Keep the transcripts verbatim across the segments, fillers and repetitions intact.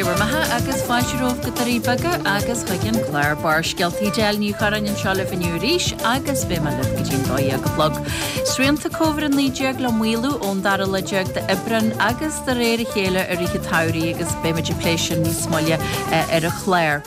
Sé bhur mbeatha agus fáilte romhaibh go Doirí Beaga agus chuig an clár Barrscéalta. Edel Ní Churráin anseo libh inniu arís agus beidh mé libh go dtí'n dó dhéag a chlog. Srianta Covid a naoi déag le maolú ón dara lá déag d'Aibreán agus de réir a chéile i rith an tsamhraidh agus beimid ag plé sin níos moille ar an chlár.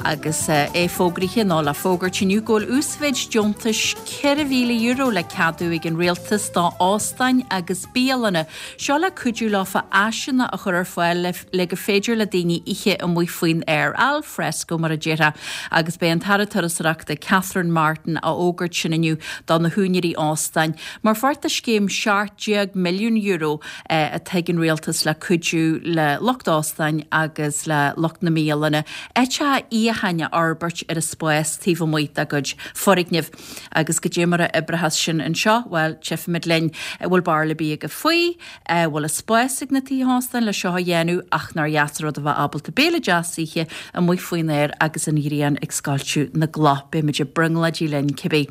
Agus é fógraithe nó le fógairt inniu go bhfuil uasmhéid deontais ceithre mhíle euro le ceadú ag an rialtas do óstáin agus bialanna. Seo le cuidiú leofa áiseanna a chur ar fáil le, le go féidir le daoine ithe amuigh faoin aer al fresco mar a déarfá agus b'é an tAire Turasóireachta Catherine Martin a fhógairt sin inniu do na húinéirí óstáin mar pháirt de scéim seacht déag milliún euro atá ag an rialtas le cuidiú le lucht óstáin agus le lucht na mbialanna áiteacha itheacháin a fhorbairt ar an spás taobh amuigh dá gcuid foirgneamh. Agus goidé mar a oibreochas sin anseo, bhuel, tchífimid linn. Bhfuil barúil ar bith agaibh faoi, bhfuil an spás ag na tithe óstáin le seo a dhéanamh ach nár dheas an rud a bheith ábalta béile deas a ithe amuigh faoin aer agus an ghrian ag scoilteadh na gcloch. Beimid ag brionglóidí linn cibé.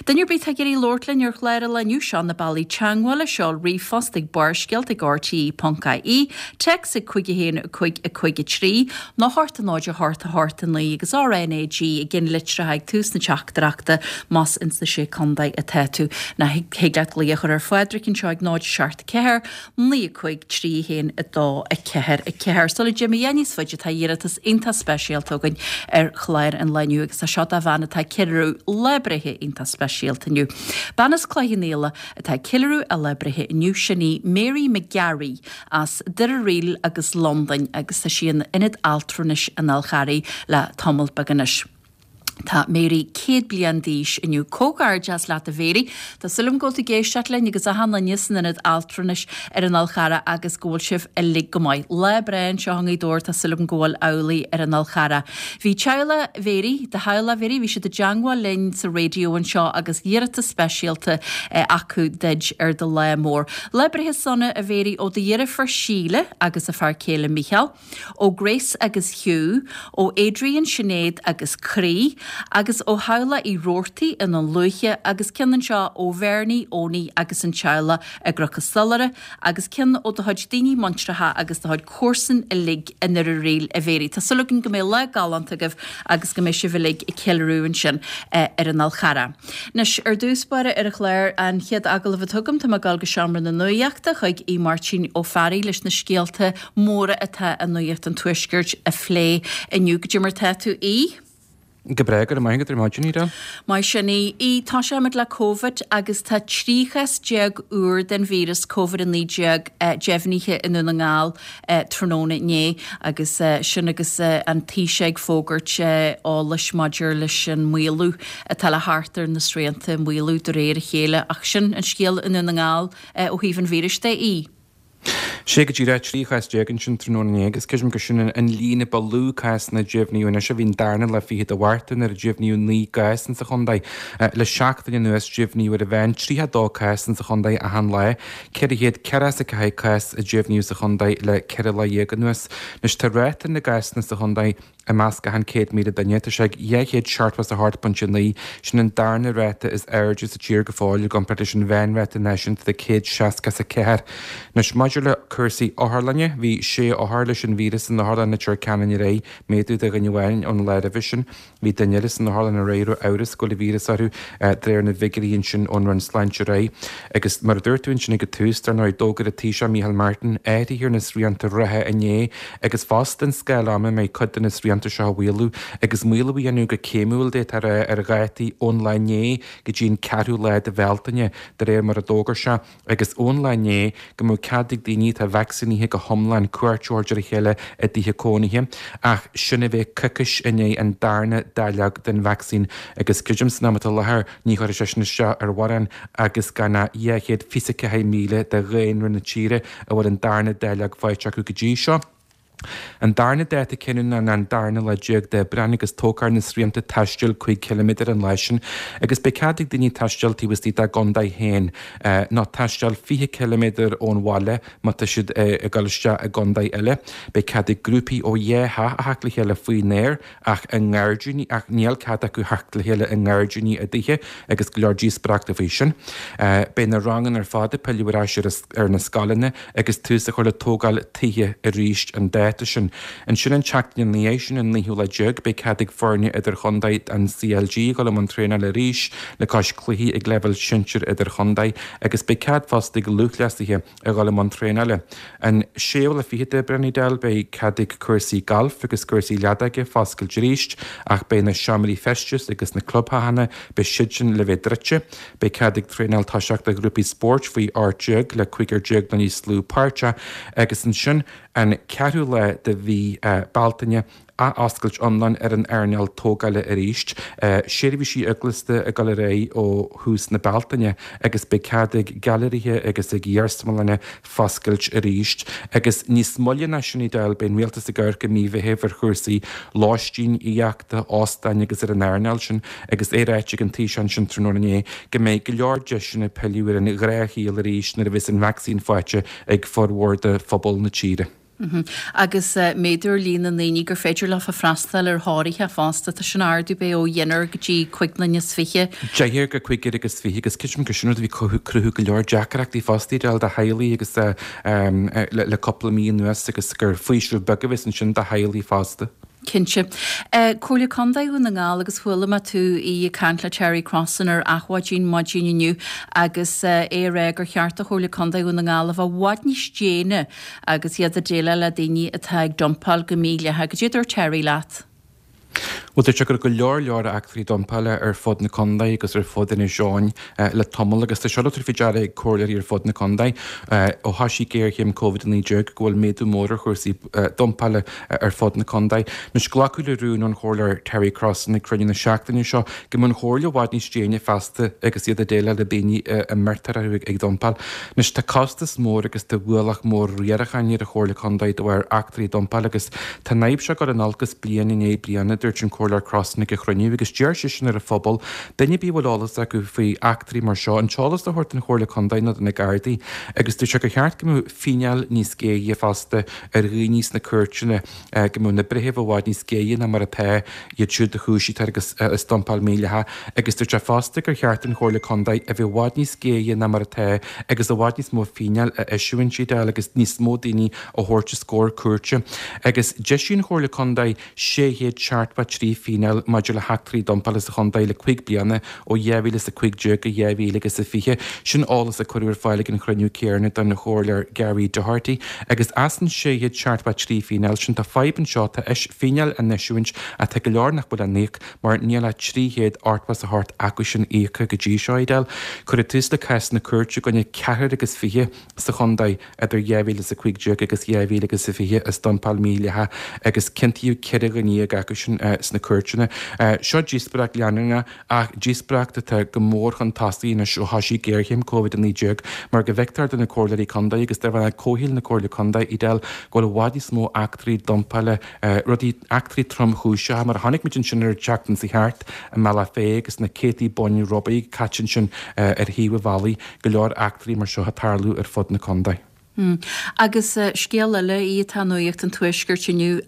Duine ar bith atá ag iarraidh labhairt linn ar chlár an lae inniu, seo na bealaí teagmhála, seol ríomhphost ag barrscéalta ag rte ponc ie, téacs ag cúig a haon cúig a cúig a trí, nó a hocht a náid a hocht a hocht a naoi agus RNAG i gceannlitreacha ag tús na teachtaireachta más ins na Sé Contae atá tú. Nó thig leat glaoch a chur ar Phádraic anseo ag náid seacht ceathair, naoi a cúig, trí a haon, a dó, a ceathair, a ceathair. Sula dtéim a dhath níos faide tá iarratas iontach speisialta againn ar chlár an lae inniu agus tá seo do bhean atá ag ceiliúradh lá breithe iontach speisialta inniu. Bean as Cloich Cheann Fhaola atá ag ceiliúradh a lá breithe inniu, sin í Mary McGarry as Doire Ríl agus Londain agus tá sí in Ionad Altranais an Fhál Charraigh le tamall beag anois. Tá Mary céad bliain d'aois inniu. Comhghairdeas leat a Mhary. Tá súil agam go bhfuil tú ag éisteacht linn agus achan duine san ionad altranais ar an Fhál Charrach agus go bhfuil sibh uilig go maith. Lá breá anseo i nGaoth Dobhair, tá súil agam go bhfuil amhlaidh ar an Fhál Charrach. Bhí teaghlach Mhary, do theaghlach Mhary, bhí siad i dteangmháil linn sa raidió anseo agus iarratas speisialta acu duid ar do lá mór. Lá breithe sona a Mhary ó do dheirfiúr Síle agus a fear céile Mícheál. ó Grace agus Hugh, ó Adrian, Sinéad agus Croí, agus ó theaghlach Uí Roarty i nDún Lúiche, agus ceann anseo ó Bhernie, Owenie agus an teaghlach i gCnoc an Stolaire, agus ceann ó do chuid daoine muintreacha agus do chuid comharsan uilig i nDoire Ríl, a Mhary. Tá súil againn go mbeidh lá galánta agaibh agus go mbeidh sibh uilig ag ceiliúradh ansin ar an Fhál Charrach. Anois, ar dtús báire ar an chlár, an chéad agallamh atá agam, tá mé ag dul go Seomra na Nuachta chuig Aodh Máirtín Ó Fearraigh leis na scéalta móra atá i Nuacht an Tuaiscirt a phlé inniu. Goidé mar tá tú, Aodh? Go breá, go raibh maith agat ar maidin, Edel. Maith sin, Aodh. Aodh, tosóimid le Covid agus tá trí chás déag úr den víreas Covid a naoi déag deimhnithe i nDún na nGall tráthnóna inné agus sin agus an Taoiseach ag fógairt eolais maidir leis an maolú atá le theacht ar na srianta, maolú de réir a chéile. Ach sin an scéal i nDún na nGall ó thaobh an víris de, Aodh. Sé go díreach trí chás déag ansin tráthnóna inné agus creidim gur sin an líon a ba lú cásanna a deimhníodh anois a bhí an darna lá fichead de Mhárta nuair a deimhníodh naoi gcás insa chontae. Le seachtain anuas deimhníodh ar an mheán tríocha dó cás insa chontae achan lá. Ceithre chéad ceathracha is a ceathair cás a deimhníodh sa chontae le ceithre lá dhéag anuas. Anois tá ráta na gcásanna sa chontae I measc achan céad míle duine, tá sé ag dhá chéad seachtó is a hocht pointe naoi, sin an darna ráta is airde sa tír go fóill i gcomparáid leis an mheánráta náisiúnta de céad seasca is a ceathair. Anois, maidir le cúrsaí otharlainne, bhí sé othar leis an víreas in Otharlann Leitir Ceanainn aréir, méadú de dhuine amháin ón lá roimhe sin. Bhí duine eile san otharlann aréir a raibh amhras go bhfuil an víreas orthu, de réir na bhfigiúirí ansin ón Roinn Sláinte aréir. Agus mar a dúirt tú ansin ag an tús, dar ndóigh, d'fhógair an Taoiseach Micheál Martin athruithe ar na srianta reatha inné agus fosta an scáil ama a mbeidh cuid de na srianta seo á mhaolú agus maolú a dhéanamh go céimiúil d'fhéadfá a rá ar dhátaí ón lá inné go dtí an ceathrú lá de Bhealtaine de réir mar a d'fhógair sé agus ón lá inné go mbeadh cead ag daoine atá vacsaínithe go hiomlán cuairt a thabhairt ar a chéile i dtithe cónaithe ach sin a bheith coicís i ndiaidh an darna dáileog den vacsaín agus creidim san am atá i láthair ní chuirfidh sé sin isteach ar mhórán agus gan ach dhá chéad fiche is a ceathair míle de dhaonra na tíre a bhfuil an darna dáileog faighte acu go dtí seo. An darna dáta cinniúna ná an darna lá déag d'Aibreán agus tógfar na srianta taistil cúig chiliméadar an lá sin agus beidh cead ag daoine taisteal taobh istigh dá gcontae féin nó taisteal fiche ciliméadar ón bhaile má tá siad ag dul isteach i gcontae eile. Beidh cead ag grúpaí ó dhá theach a theacht le chéile faoin aer ach i ngairdíní ach níl cead acu theacht le chéile i ngairdíní a dtithe agus go leor díospóireachta faoi sin. Beidh na ranganna ar fad ag pilleadh ar ais ar na scoileanna agus tús á chur le tógáil tithe arís an dáta dáta sin. Ansin an tseachtain ina dhiaidh sin, an naoú lá déag, beidh cead ag foirne idirchontae an CLG dul i mbun traenála arís le cois cluichí ag leibhéal sinsir idirchontae agus beidh cead fosta ag lúthchleasaithe a dhul i mbun traenála. An séú lá fichead d'Aibreán, Edel, beidh cead ag cúrsaí gailf agus cúrsaí leadóige foscailt arís ach beidh na seomraí feistis agus na clubtheanna, beidh siad sin le bheith druidte. Beidh cead ag traenáil toiseacht do ghrúpaí spóirt faoi ocht déag le cúigear déag nó níos lú páirteach agus ansin an ceathrú lá de mhí Bealtaine, athoscailt iomlán ar an earnáil tógála arís, seirbhísí eaglasta ag dul ar aghaidh ó thús na Bealtaine agus beidh cead ag gailearaithe agus ag iarsmalanna foscailt arís. Agus níos moille ná sin, Edel, beidh an rialtas ag amharc i mí Mheithimh ar chúrsaí lóistín, aíochta, óstáin agus ar an earnáil sin agus é ráite ag an Taoiseach ansin tráthnóna inné go mbeidh go leor deiseanna pilleadh ar an ghnáthshaol arís nuair a bheas an vacsaín faighte ag formhór de phobal na tíre. Agus méadú ar líon na ndaoine gur féidir leofa freastal ar thórraimh fosta, tá sin ardú b'ea ó dheichniúr go dtí cúig nduine is fiche. Deichniúr go cúigear agus fiche agus creidim gur sin rud a bhí ag cruthú go leor deacrachtaí fosta Edel do theaghlaigh agus le cúpla mí anuas agus gur faoiseamh beag a bheas ansin do theaghlaigh fosta. Cinnte. Comhairle Contae Dhún na nGall agus chuala mé tú ag caint le Terry Crossan ar Adhmhaidin maidin inniu agus é ag rá gur cheart do Chomhairle Contae Dhún na nGall a bheith i bhfad níos déine agus iad ag déileáil le daoine atá ag dumpáil go mídhleathach. Cad é a dúirt Terry leat? Bhuel, dúirt sé go raibh go leor leor eachtraí dumpála ar fud na contae agus ar fud Inis Eoghain le tamall agus tá seo le tabhairt faoi deara ag comhairleoirí ar fud na contae ó thosaigh géarchéim Covid a naoi déag go bhfuil méadú mór ar chúrsaí dumpála ar fud na contae. Anois, glacadh le rún ón Chomhairleoir Terry Crossan ag cruinniú na seachtaine seo go mbeadh an Chomhairle i bhfad níos déine feasta agus iad ag déileáil le daoine a mbeirtear orthu ag dumpáil. Anois, tá costas mór agus tá ualach mór riaracháin ar an Chomhairle Contae de bharr eachtraí dumpála agus tá an fhadhb seo ag dul in olcas bliain i ndiaidh bliana, a dúirt an Comhairleoir Crossan ag an chruinniú agus d'iarr seisean ar an phobal, duine ar bith a bhfuil eolas acu faoi eachtraí mar seo, an t-eolas a thabhairt don Chomhairle Contae nó do na Gardaí agus dúirt sé gur cheart go mbeadh fíneáil níos géire fosta ar dhaoine sna cúirteanna, go mbeadh na breithimh i bhfad níos géire ná mar atá iad siúd a chúisítear agus as dumpáil mhídhleathach agus dúirt sé fosta gur cheart don Chomhairle Contae a bheith i bhfad níos géire ná mar atá agus i bhfad níos mó fíneáil a eisiúint Edel agus níos mó daoine a thabhairt os comhair cúirte agus d'eisigh an Chomhairle Contae sé chéad seachtó a trí fíneáil maidir le heachtraí dumpála sa chontae le cúig bliana, ó dhá mhíle is a cúig déag go dhá mhíle agus a fiche. Sin eolas a cuireadh ar fáil ag an chruinniú céanna don Chomhairleoir Gary Doherty. Agus as an sé chéad seachtó a trí fíneáil sin, tá fadhb anseo, tá fíneáil á n-eisiúint ach tá go leor nach bhfuil á n-íoc mar níl ach trí chéad ochtó is a hocht acu sin íoctha go dtí seo, Edel. Cuireadh tús le cásanna cúirte i gcoinne ceathrar agus fiche sa chontae idir dhá mhíle is a cúig déag agus dhá mhíle agus a fiche as dumpáil mhídhleathach agus ciontaíodh ceithre dhuine dhéag acu sin sna cúirteanna. Seo díospóireacht leanúnach ach díospóireacht atá go mór chun tosaigh anois ó thosaigh géarchéim Covid a naoi déag mar go bhfeictear do na comhairleoirí contae agus do bhaill comhshaoil na Comhairle Contae, Edel, go bhfuil i bhfad níos mó eachtraí dumpála, rudaí, eachtraí tromchúiseacha mar a chonaic muid ansin ar an tseachtain seo thart i mBealach Féich agus na céadtaí boinn rubaí caite ansin ar thaobh an bhealaigh, go leor eachtraí mar seo ag tarlú ar fud na contae. Agus scéal eile í atá i Nuacht an Tuaiscirt inniu,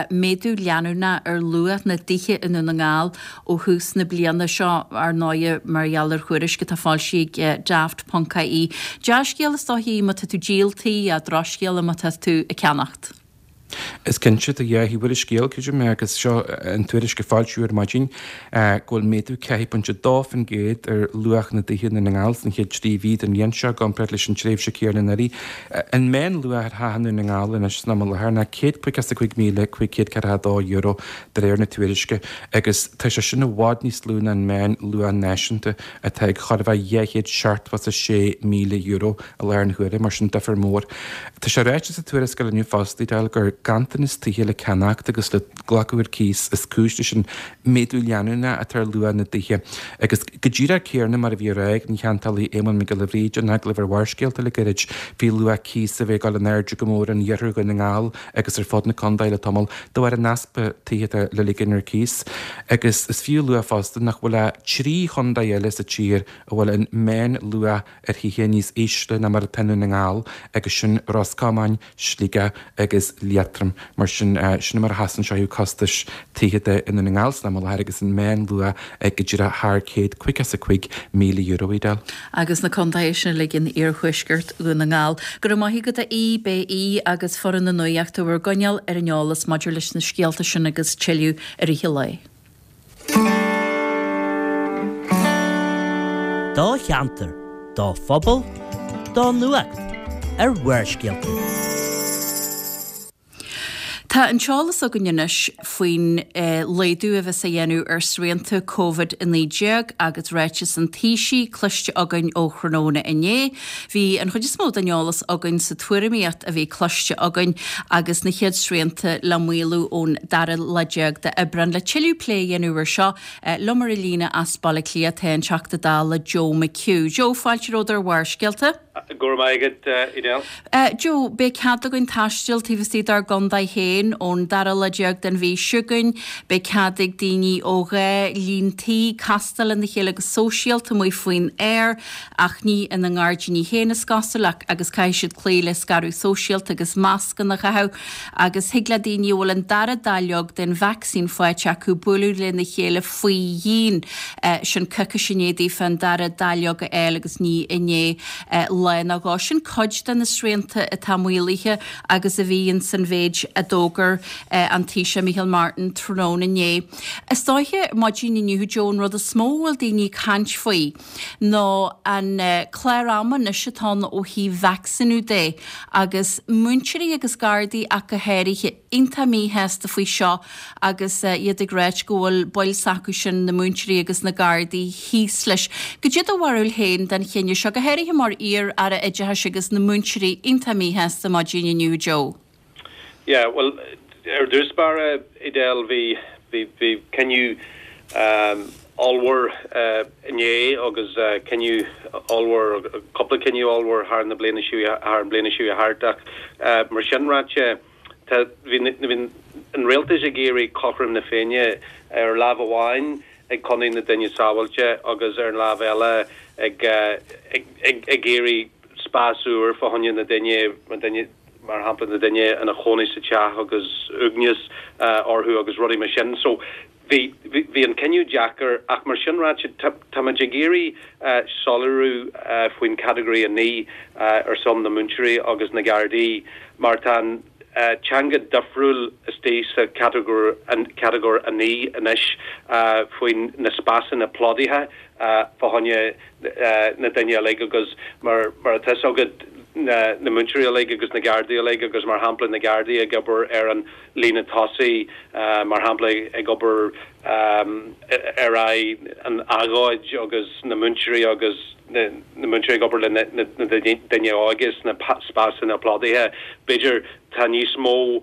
méadú leanúnach ar luach na dtithe i nDún na nGall ó thús na bliana seo, ar ndóighe mar gheall ar thuairisc atá foilsithe ag Daft ponc ie. Dea-scéal is dóichí má tá tú ag díol tí, drochscéal má tá tú ag ceannacht. Is cinnte, tá dhá thaobh ar an scéal, creidim, agus seo an tuairisc a foilsíodh ar maidin, go bhfuil méadú ceathair pointe dó faoin gcéad ar luach na dtithe i nDún na nGall sna chéad trí mhí den bhliain seo i gcomparáid leis an tréimhse chéanna anuraidh. An meánluach ar theach i nDún na nGall anois san am i láthair ná céad caoga is a cúig míle cúig chéad ceathracha a dó euro de réir na tuairisce agus tá sé sin i bhfad níos lú ná an meánluach náisiúnta atá ag chóir a bheith dhá chéad seachtó is a sé míle euro i láthair na huaire, mar sin difear mór. Tá sé ráite sa tuarascáil inniu fosta, Edel, gur ganntanas tithe le ceannacht agus le glacadh ar cíos is cúis leis an méadú leanúnach atá ar luach na dtithe. Agus go díreach céarna mar a bhí á rá ag an cheantálaí Éamonn Mac Giolla Bhríde in agallamh ar Bharrscéalta le gairid faoi luach cíos a bheith ag dul in airde go mór in iarthar Dhún na nGall agus ar fud na contae le tamall de bharr an easpa tithe atá le ligean ar cíos. Agus is fiú a lua fosta nach bhfuil ach trí chontae eile sa tír a bhfuil an meánluach ar thithe níos ísle ná mar atá i nDún na nGall agus sin Ros Comáin, Sligeach agus Liath éadrom. Mar sin, sin mar a sheasann sé ó thaobh costais tithe de i nDún na nGall san am i láthair agus an meánluach ag go díreach thar céad caoga is a cúig míle euro, Edel. Agus na contaetha sin uilig in iarthuaisceart Dhún na nGall. Go raibh maith agat a Aoidh, beidh Aodh agus foireann na nuachta bhur gcoinneáil ar an eolas maidir leis na scéalta sin agus tuilleadh i rith an lae. Do cheantar, do phobal, do nuacht ar Bharrscéalta. Tá an t-eolas againn anois faoin laghdú a bheas á dhéanamh ar srianta Covid a naoi déag agus ráiteas an Taoisigh cloiste againn ó thráthnóna inné. Bhí an chuid is mó den eolas againn sa tuairimíocht a bhí cloiste againn agus na chéad srianta le maolú ón dara lá déag d'Aibreán. Le tuilleadh plé a dhéanamh ar seo, liom ar an líne as Baile Átha Cliath tá an Teachta Dála Joe McHugh. Joe, fáilte romhat ar Bharrscéalta. Go raibh maith agat, Edel. Joe, beidh cead againn taisteal taobh istigh dár gcontae féin ón dara lá déag den mhí seo chugainn. Beidh cead ag daoine ó dhá líon tí castáil lena chéile go sóisialta amuigh faoin aer, ach ní ina ngairdíní féin is cosúil, ach agus caithfidh siad cloí le scaradh sóisialta agus mascanna a chaitheamh. Agus thig le daoine a bhfuil an dara dáileog den vacsaín faighte acu bualadh lena chéile faoi dhíon, sin coicís i ndiaidh daofa an dara dáileog a fháil agus ní i ndiaidh lá nó dhó. Sin cuid de na srianta atá maolaithe agus a bhí ins an mhéid a d'fhógair an Taoiseach Micheál Martin tráthnóna inné. Is dóiche maidin inniu, Joe, an rud is mó a bhfuil daoine ag caint faoi ná an clár ama anois atá ann ó thaobh vacsaíniú de agus múinteoirí agus Gardaí ach go háirithe iontach míshásta faoi seo agus iad ag ráit go bhfuil baill s'acu sin, na múinteoirí agus na Gardaí, thíos leis. Goidé do bharúil féin den chinneadh seo, go háirithe mar iar-Aire Oideachais agus na múinteoirí iontach míshásta maidin inniu, Joe? Yeah, bhuel, ar dtús báire, Edel, bhí, bhí, bhí cinneadh ollmhór inné agus cinneadh ollmhór, cúpla cinneadh ollmhór thar na bliana seo, thar an bliana seo thart ach mar sin ráite, tá, bhí, bhí an rialtas ag iarraidh cothrom na Féinne ar lámh amháin ag coinneáil na duine sábháilte agus ar an lámh eile ag, ag, ag, ag iarraidh spás úr fá choinne na duine, na duine, mar shampla na duine ina chónaí sa teach agus uaigneas orthu agus rudaí mar sin. So bhí, bhí an cinneadh deacair ach mar sin ráite táimid ag iarraidh soiléiriú faoin category a naoi ar son na múinteoirí agus na Gardaí mar tá an teanga difriúil istigh sa catagóir, catagóir a naoi anois faoin na spásanna plódaithe fá choinne na duine uilig agus mar, mar atá fhios agat na na múinteoirí uilig agus na Gardaí uilig agus mar shampla na Gardaí ag obair ar an líne tosaigh mar shampla ag obair ar aghaidh an agóid agus na múinteoirí agus na na múinteoirí ag obair le na na daoine óga sna spásanna plódaithe b'fhéidir tá níos mó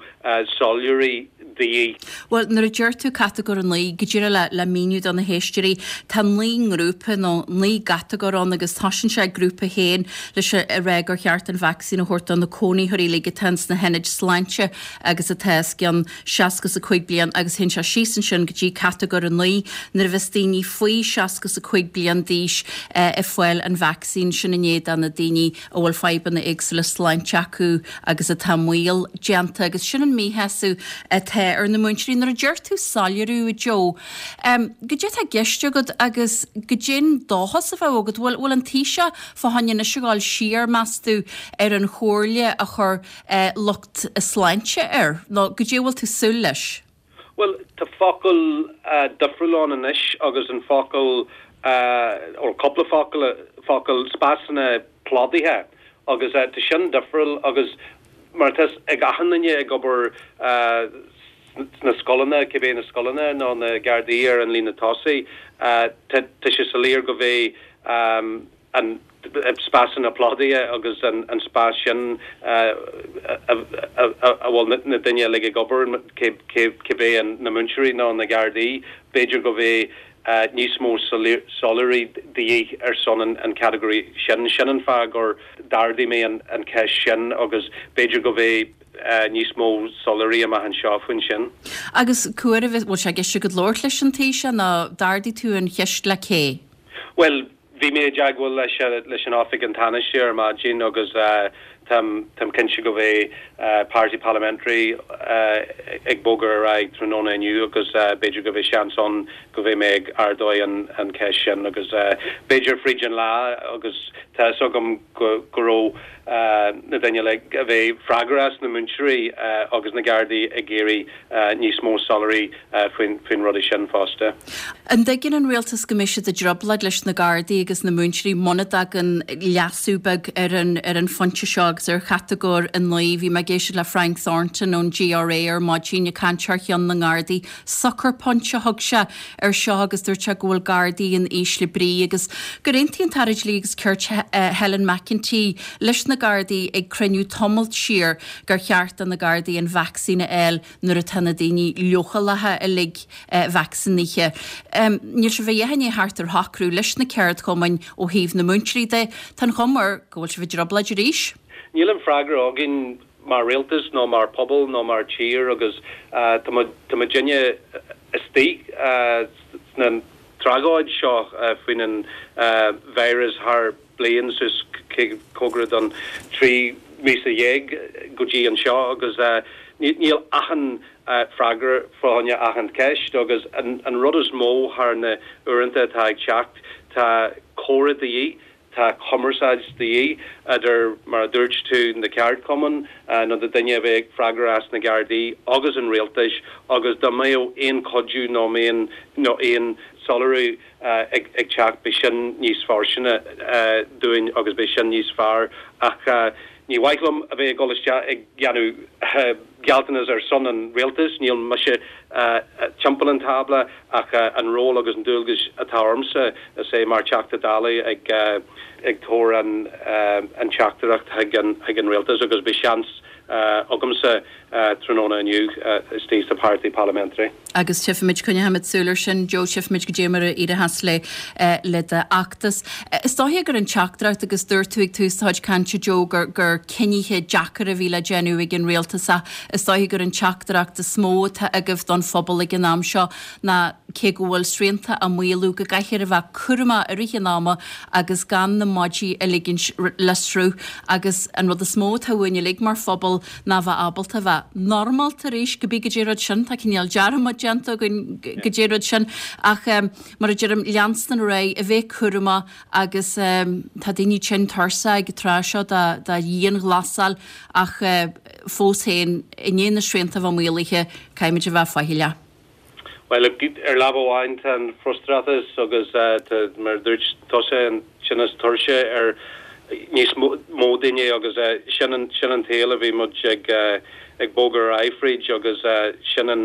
soiléirí de dhíth. Bhuel, nuair a deir tú catagóir a naoi, go díreach le, le míniú do na héisteoirí, tá naoi ngrúpa nó naoi gcatagóir ann agus tosaíonn sé ag grúpa a haon leis a rá gur cheart an vacsaín a thabhairt do na cónaitheoirí uilig atá ins na hionaid sláinte agus atá os cionn seasca is a cúig bliain agus théann sé síos ansin go dtí catagóir a naoi nuair a bheas daoine faoi seasca is a cúig bliain d'aois ag fáil an vacsaín sin i ndiaidh do na daoine a bhfuil fadhbanna éagsúla sláinte acu agus atá i mbaol déanta agus sin an míshásamh atá ar na múinteoirí. Nuair a deir tú soiléiriú, a Joe, goidé atá i gceist agat agus goidé'n dóchas a bheadh agat? Bhfuil bhfuil an Taoiseach fá choinne anois a ghabháil siar, meas tú, ar an chomhairle a chuir lucht sláinte air nó goidé a bhfuil tú súil leis? Bhuel, tá focal difriúil ann anois agus an focal, nó cúpla focal, focal, spásanna plódaithe agus tá sin difriúil agus mar atá fhios ag achan duine ag obair sna scoileanna, cibé na scoileanna nó na Gardaí ar an líne tosaigh, tá sé soiléir go bheidh an spásanna plódaithe agus an spás sin a bhfuil na daoine uilig ag obair, cibé na múinteoirí nó na Gardaí, b'fhéidir go bheidh níos mó soiléirí de dhíth ar son an category sin. Sin an fáth gur d'ardaigh mé an cheist sin agus b'fhéidir go bheidh níos mó soiléirí amach anseo faoin sin. Agus cá huair a bhfuil sé i gceist agat labhairt leis an Taoiseach nó d'ardaigh tú an cheist le cé? Bhuel, Bhí mé i dteagmháil leis leis an Oifig an Tánaiste ar maidin agus táim táim cinnte go mbeidh Party Parliamentary ag bogadh ar aghaidh tráthnóna inniu agus b'fhéidir go mbeidh seans ann go mbeidh mé ag ardú an an cheist sin agus b'fhéidir fríd an lá agus tá fhios agam go go raibh na daoine le a bheith freagrach as na múinteoirí agus na Gardaí ag iarraidh níos mó soiléirí faoin faoin rudaí sin fosta. An dtuigeann an rialtas go mbeidh siad i dtrioblóid leis na Gardaí agus na múinteoirí muna dtagann leasú beag ar an ar an phointe seo agus ar chatagóir a naoi. Bhí mé ag éisteacht le Frank Thornton ón GRA ar maidin ag caint thar cheann na nGardaí. Sucker punch a thug sé ar seo agus dúirt sé go bhfuil Gardaí in ísle brí agus gur aontaigh an tAire Dlí agus Cirt Helen McEntee leis na Gardaí ag cruinniú tamall siar gur cheart do na Gardaí an vacsaín a fháil nuair atá na daoine leochaileacha uilig vacsaínithe. Um, níl sé bheith é thart ar shocrú leis na ceardchumainn ó thaobh na múinteoirí de, Tá an chuma air go bhfuil sibh i dtrioblóid arís? Níl an freagra againn mar rialtas nó mar pobal nó mar tír agus uh, tá muidinne istigh uh, sna tragóid seo uh, faoin an uh, virus thar bliain sus cóngarach don trí míosa dhéag go dtí anseo agus uh, níl achan uh, freagra fá choinne achan ceist agus an, an rud is mó thar na uaireanta atá ag teacht tá comhrá de dhíth tá cumarsáid de dhíth idir mar a dúirt tú na ceardchumainn uh, nó na daoine a bheith freagrach as na Gardaí agus an rialtais agus dá mbeadh aon chuidiú nó aon nó aon soiléiriú uh, ag, ag teacht bheadh sin níos fearr uh, dúinn agus bheadh sin níos fearr ach uh, ní mhaith liom a bheith ag dul isteach ag déanamh uh, gealltanas ar son an rialtais, níl mise uh, timpeall an tábla ach uh, an ról agus an dualgas atá ormsa is é mar Teachta Dála ag uh, ag tabhairt an uh, an teachtaireacht ag an ag an rialtas agus beidh seans uh, agamsa uh, tráthnóna inniu uh, istigh sa Party Parliamentary. Agus tchífimid coinneoimid súil air sin Joe tchífimid goidé mar a éireos le uh, le d'fheachtas. Is dóigh gur an teachtaireacht agus dúirt tú ag tús do chuid cainte Joe gur gur cinntí deacra a bhí le déanamh ag an rialtas is dóigh gur an teachtaireacht is mó atá agaibh don phobal ag an am seo ná cé go bhfuil srianta á maolú go gcaithfear a bheith cúramach i rith an ama agus gan na maidí a ligint le sruth agus an rud is mó atá uainn uilig mar phobal ná bheith ábalta bheith normálta arís go bí go dtí rud sin tá cineál dearmad déanta againn go dtí rud sin ach um, mar a deirim leanstan ar aghaidh a bheith cúramach agus um, tá daoine tinn tuirseach ag tráth seo da da dhianghlasáil ach uh, fós féin i ndiaidh na srianta bheith maolaithe caithfimid a bheith faichilleach. Well ar lámh amháin tá an frustrachas agus uh, mar dúirt tusa an tinneas tuirse ar níos mó daoine agus uh, sin an sin an taobh a bhí muid ag uh, ag bogadh ar aghaidh fríd agus uh, sin an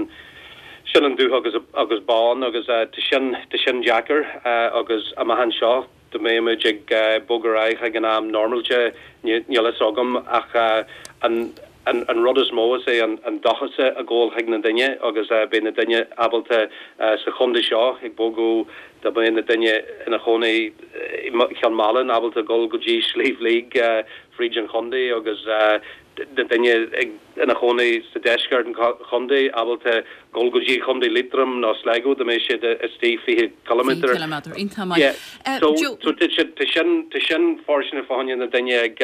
sin an dubh agus agus bán agus uh, tá sin tá sin deacair uh, agus amach anseo dá mbeidh muid ag uh, bogadh ar aghaidh ag an am normálta níl fhios agam ach uh, an an, an rud is mó is é an, an dóchas a ghabháil chuig na daoine agus uh, beidh na daoine ábalta uh, sa chontae seo ag bogadh dá mbeidh na daoine ina gcónaí Ceann Mhálann ábalta dul go dtí Sliabh Liag uh, fríd an chontae agus uh, na daoine ina gcónaí sa deisceart an chontae ábalta dul go dtí Contae Liatroim nó Sligo dá mbeidh siad istigh fiche kilometer. Yeah. So so sin sin fóirsteanach fá choinne na daoine ag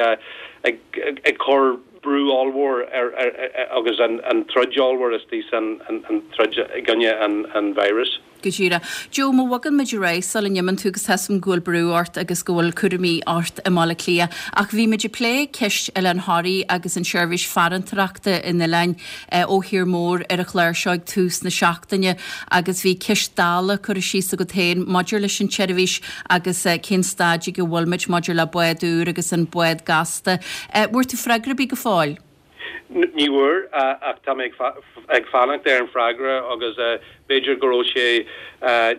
ag ag cur brú ollmhór ar, ar, ar, agus an, an troid ollmhór is tí an, an, an troid i gcoinne an, an virus. Go díreach. Joe má bhogann muid ar aghaidh sula n-imíonn tú agus tá a fhios agam go bhfuil brú ort agus go bhfuil cúraimí ort i mBaile Átha Cliath. Ach bhí muid ag plé ceist Oileán Thoraí agus an seirbhís farantóireachta in oileáin eh, ó thír mór ar an chlár seo ag tús na seachtaine agus bhí ceist dála curtha síos agat féin maidir leis an tseirbhís agus eh, cén staid go bhfuil muid maidir le bád úr agus an bád gasta. Eh, bhfuair tú freagra ar bith go fóill? Ní bhfuair ach tá ag fanacht ar an freagra agus b'fhéidir go raibh sé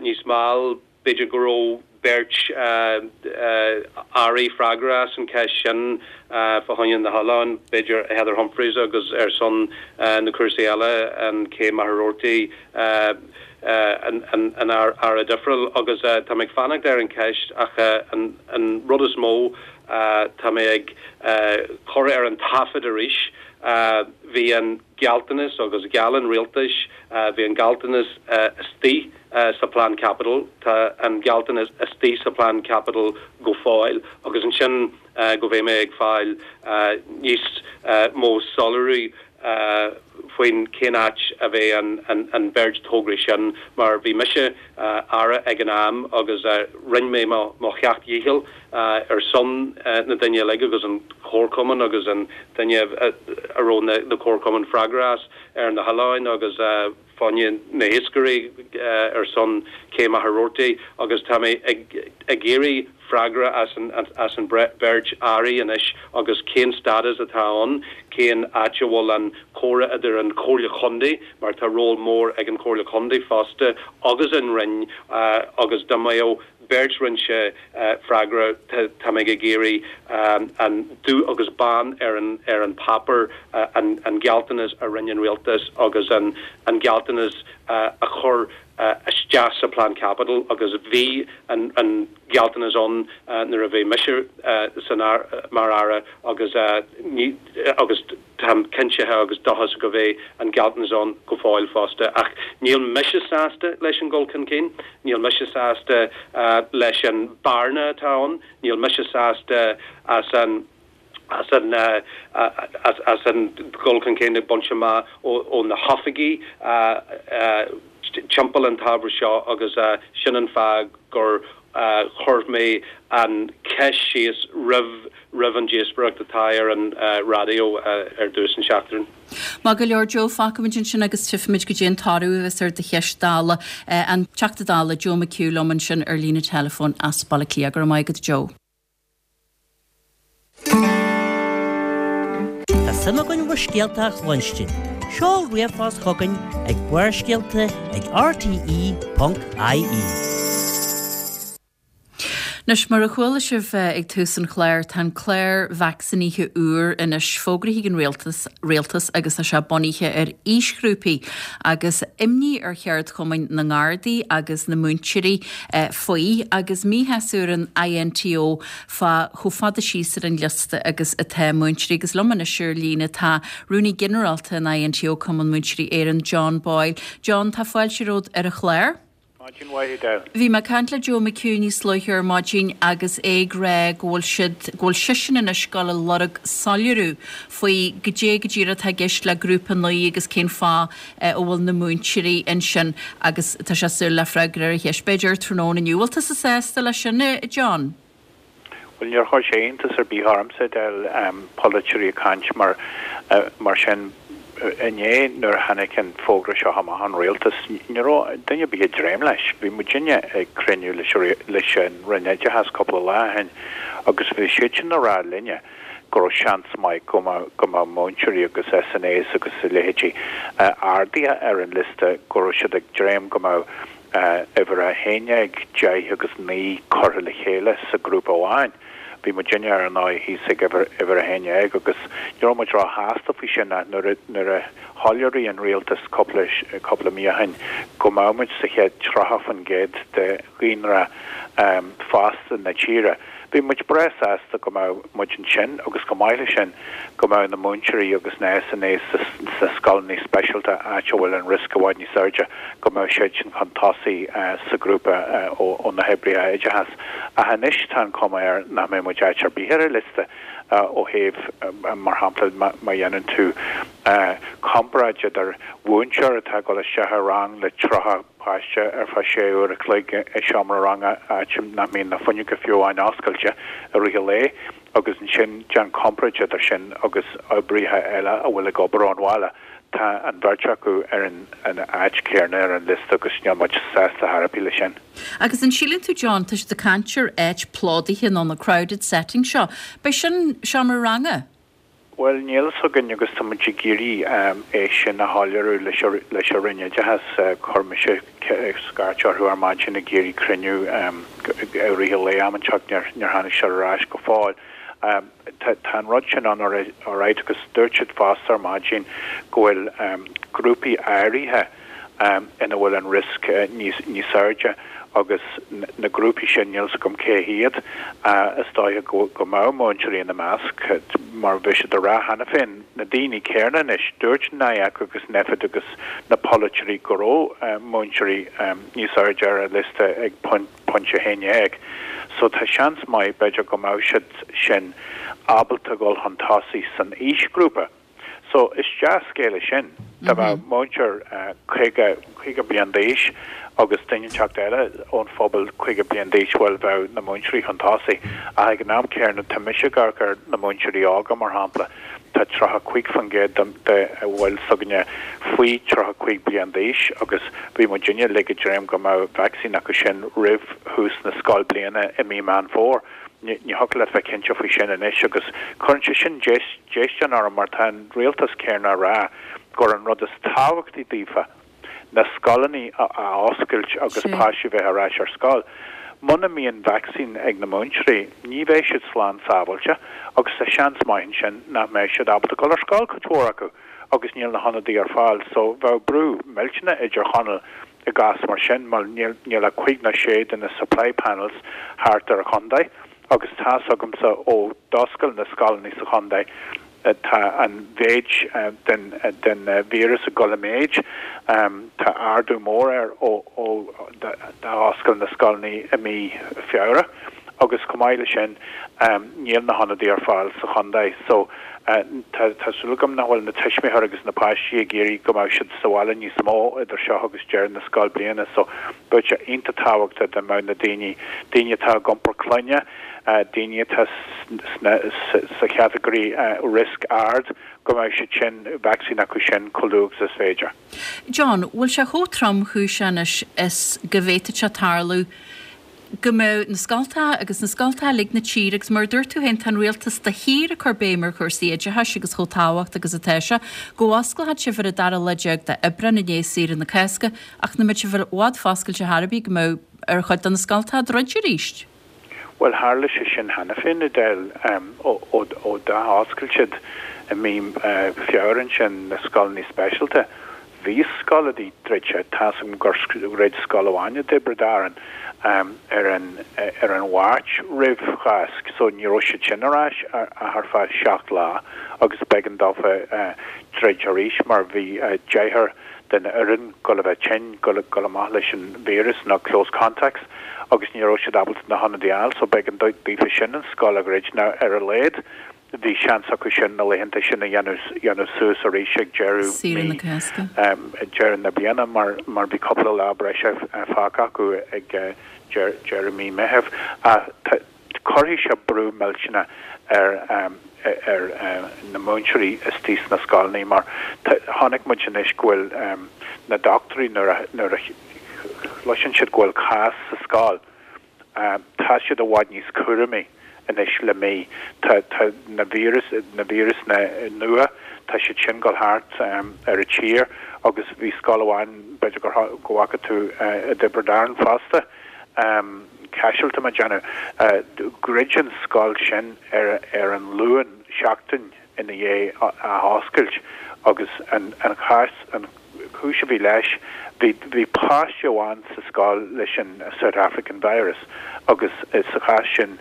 níos mall, b'fhéidir go raibh beirt airí freagrach as an cheist sin fá choinne na hoileáin, b'fhéidir Heather Humphreys agus ar son na cúrsaí eile an Kay Maherorty an an aire difriúil agus tá ag fanacht ar an ceist ach an an rud is mó tá mé ag chur ar an taifead arís Bhí an gealltanas agus gheall an rialtas, bhí an gealltanas istigh sa Plean Caipitil, tá an gealltanas istigh sa Plean Caipitil go fóill agus ansin go mbeidh mé ag fáil níos mó soiléiriú faoin cén áit a bheidh an an bheirt tograí sin mar bhí mise aire ag an am agus rinne mé mo mo sheacht dhícheall ar son na daoine uilig agus an comharchumann agus an duine a raibh na na comharchumainn freagrach as ar na hoileáin agus fá choinne na hiascairí ar son cé Machaire Rabhartaigh agus tá mé ag ag iarraidh freagra as an as an beirt airí anois agus cén stádas atá ann, cén áit a bhfuil an comhrá idir an Chomhairle Chontae mar tá ról mór ag an Chomhairle Chontae fosta agus an Roinn agus dá mbeadh beirt roinnse freagra tá mé ag iarraidh an dubh agus bán ar an ar an páipéar an an gealltanas a rinne an rialtas agus an an gealltanas a chur isteach sa Plean Caipitil agus bhí an an gealltanas ann nuair a bhí mise san mar aire agus ní agus táim cinnte agus dóchasach go bheidh an gealltanas ann go fóill fosta. Ach níl mise sásta leis an gcul chun cinn, níl mise sásta leis an bearna atá ann, níl mise sásta as an as an as as an gcul chun cinn ag baint amach ó na hoifigí timpeall an t-ábhar seo agus sin an fáth gur chuir mé an cheist síos roimh roimh an díospóireacht atá ar an raidió ar dtús an seachtain. Maith go leor Joe fágfaimid ansin agus tchífimid goidé an toradh a bheas ar do cheist Dála an Teachta Dála Joe McHugh liom ansin ar líne teileafóin as Baile Átha Cliath go raibh maith agat Joe. Tá suim againn bhur scéalta a chluinstin. Seol ríomhphost chugainn ag Barrscéalta ag RTE.ie. Anois mar a chuala sibh ag tús an chláir tá an clár vacsaínithe úr anois fógraithe ag an rialtas rialtas agus tá sé bunaithe ar aoisghrúpaí agus imní ar cheardchumainn na nGardaí agus na múinteoirí faoi agus míshásamh ar an INTO fá chomh fada síos ar an liosta agus atá múinteoirí agus liom anois ar líne tá Rúnaí Ginearálta an INTO Cumann Múinteoirí Éireann John Boyle. John tá fáilte romhat ar an chlár. Bhí mé ag caint le Joe McHugh níos luaithe ar maidin agus é ag rá go bhfuil siad go bhfuil seisean anois ag dul a lorg soiléiriú faoi goidé go díreach atá i gceist le grúpa naoi agus cén fáth a bhfuil na múinteoirí ansin agus tá sé súil le freagra ar a cheist b'fhéidir tráthnóna inniu. Bhfuil tusa sásta leis sin, John? Well níor chuir sé iontas ar bith ormsa del polaiteoirí ag caint mar mar sin inné nuair a tháinig an fógra seo amach ón rialtas ní raibh duine ar bith ag dréim leis. Bhí muidinne ag cruinniú leis leis an Roinn Oideachais cúpla lá ó shin agus bhí siad sin ag rá linne go raibh seans maith go mbeadh go mbeadh múinteoirí agus SNAs agus a leithéidí ardaithe ar an liosta go raibh siad ag dréim go mbeadh uimhir a haon déag, deich agus naoi curtha le chéile sa ghrúpa amháin. Bhí muidinne ar ndóigh thíos ag uimhir a haon déag agus ní raibh muid róshásta faoi sin ach nuair a nuair a shoiléirigh an rialtas cúpla cúpla mí ó shin go mbeadh muid sa chéad tríocha faoin gcéad de dhaonra fásta na tíre. Bhí muid breá sásta go mbeadh muid ansin agus chomh maith leis sin go mbeadh na múinteoirí agus na SNAs sna scoileanna speisialta áit a bhfuil an riosca i bhfad níos airde go mbeadh siad sin chun tosaigh sa ghrúpa ó na hoibrithe oideachais. Ach anois tá an chuma air nach mbeidh muid áit ar bith ar an liosta ó thaobh mar shampla má dhéanann tú comparáid idir mhúinteoir atá ag dul isteach i rang le tríocha páiste ar feadh sé uair a chloig i seomra ranga áit nach mbíonn na fuinneoga fiú amháin oscailte i rith an lae agus ansin déan comparáid idir sin agus oibrithe eile a bhfuil ag obair ón bhaile. Tá an bheirt acu ar an an áit chéanna ar an liosta agus níl muid sásta ar bith leis sin. Agus an síleann tú John tá siad ag caint ar áit plódaithe nó na crowded setting seo. B'é sin seomra ranga? Bhuel níl a fhios againn agus tá muid ag iarraidh é sin a shoiléiriú leis leis an Roinn Oideachais. Chuir mise scairt orthu ar maidin ag iarraidh cruinniú i rith an lae amárach níor níor tháinig siad ar ais go fóill. Tá an rud sin ann alright agus dúirt siad fosta ar maidin go bhfuil grúpaí áirithe ina bhfuil an riosca níos níos airde. agus na grúpaí sin níl 's agam cé hiad, is dóiche go go mbeadh múinteoirí ina measc mar bhí siad a rá cheana féin, na daoine céanna anois, dúirt N I E C agus Nphet agus na polaiteoirí go raibh múinteoirí níos airde ar an liosta ag pointe a haon dhéag. So tá seans maith b'fhéidir go mbeadh siad sin ábalta dul chun tosaigh san aoisghrúpa. So is dea-scéal é sin. Dá mbeadh múinteoir caoga caoga bliain d'aois agus duine inteacht eile ón phobal caoga bliain d'aois, bhuel bheadh na múinteoirí chun tosaigh. Ach ag an am céanna tá mise ag amharc ar na múinteoirí óga mar shampla, tá tríocha cúig faoin gcéad de bhaill s'againne faoi tríocha cúig bliain d'aois agus bhí muidinne uilig ag dréim go mbeadh vacsaín acu sin roimh thús na scoilbliana i mí Meán Fómhair. Ní thiocfadh leat bheith cinnte faoi sin anois agus cuireann sé sin déistin orm mar tá an rialtas céanna a rá gur an rud is tábhachtaí daofa na scoileanna a oscailt agus páistí bheith ar ais ar scoil. Muna mbíonn vacsaín ag na múinteoirí, ní bheidh siad slán sábháilte agus tá seans maith ansin nach mbeidh siad ábalta dul ar scoil cuid mhór acu agus níl na hionadaí ar fáil so bheadh brú millteanach i dTír Chonaill i gcás mar sin mar níl níl ach cúig nó sé de na supply panels thart ar an chontae agus tá's agamsa ó d'oscail na scoileanna sa chontae tá an mhéid den den víreas ag dul i méid. Tá ardú mór air ó ó d'oscail na scoileanna i mí Feabhra agus chomh maith leis sin níl na hionadaí ar fáil sa chontae so tá tá súil agam nach bhfuil na tuismitheoirí agus na páistí ag iarraidh go mbeadh siad sa bhaile níos mó idir seo agus deireadh na scoilbliana so bheadh sé iontach tábhachtach dá mbeadh na daoine daoine atá ag iompar clainne daoine atá sna sa chatagóirí risk ard go mbeadh siad sin vacsaín acu sin chomh luath agus is féidir. John, bhfuil sé chomh tromchúiseach anois is go bhféadfadh sé tarlú go mbeadh na scoltacha agus na scoltacha uilig na tíre agus mar a dúirt tú féin tá an rialtas de shíor ag cur béim ar chúrsaí oideachais agus chomh tábhachtach agus atá sé, go bhfosclódh sibh ar an dara lá déag d'Aibreán i ndiaidh saoire na Cásca ach nach mbeadh sibh i bhfad foscailte ar bith go mbeadh ar chuid de na scoltacha druidte arís. Bhuel tharla sé sin cheana féin Edel ó ó d'athoscail siad i mí Feabhra ansin na scoileanna speisialta. Bhí scoileanna druidte, tá's agam gur dhruid scoil amháin i dTiobraid Árann ar an ar an Mháirt roimh Cháisc so ní raibh siad sin ar ais ach ar feadh seacht lá agus b'éigean dófa druid arís mar bhí deichniúr den fhoireann dul a bheith tinn, dul dul amach leis an víreas nó close contacts agus ní raibh siad ábalta na hionadaí a fháil so b'éigean daofa sin an scoil a dhruid nó ar a laghad bhí seans acu sin na laethanta sin a dhéanamh dhéanamh suas arís ag deireadh Saoire na Cásca. deireadh na bliana mar mar bhí cúpla lá breise fágtha acu ag deireadh mí Meitheamh. Cuirfidh sé brú millteanach ar ar na múinteoirí istigh sna scoileanna mar chonaic muid anois go bhfuil na dochtúirí nuair a nuair a chloiseann siad go bhfuil cás sa scoil, tá siad i bhfad níos cúramaí anois le mí. Tá tá na víreas na víreasanna nua, tá siad sin dul thart ar an tír agus bhí scoil amháin b'fhéidir gur go bhfaca tú i dTiobraid Árann fosta, Caiseal tá mé ag déanamh, dhruid an scoil sin ar ar an Luan seachtain ina dhiaidh a oscailt agus an an chás an chúis a bhí leis bhí bhí páiste amháin sa scoil leis an South African virus agus sa chás sin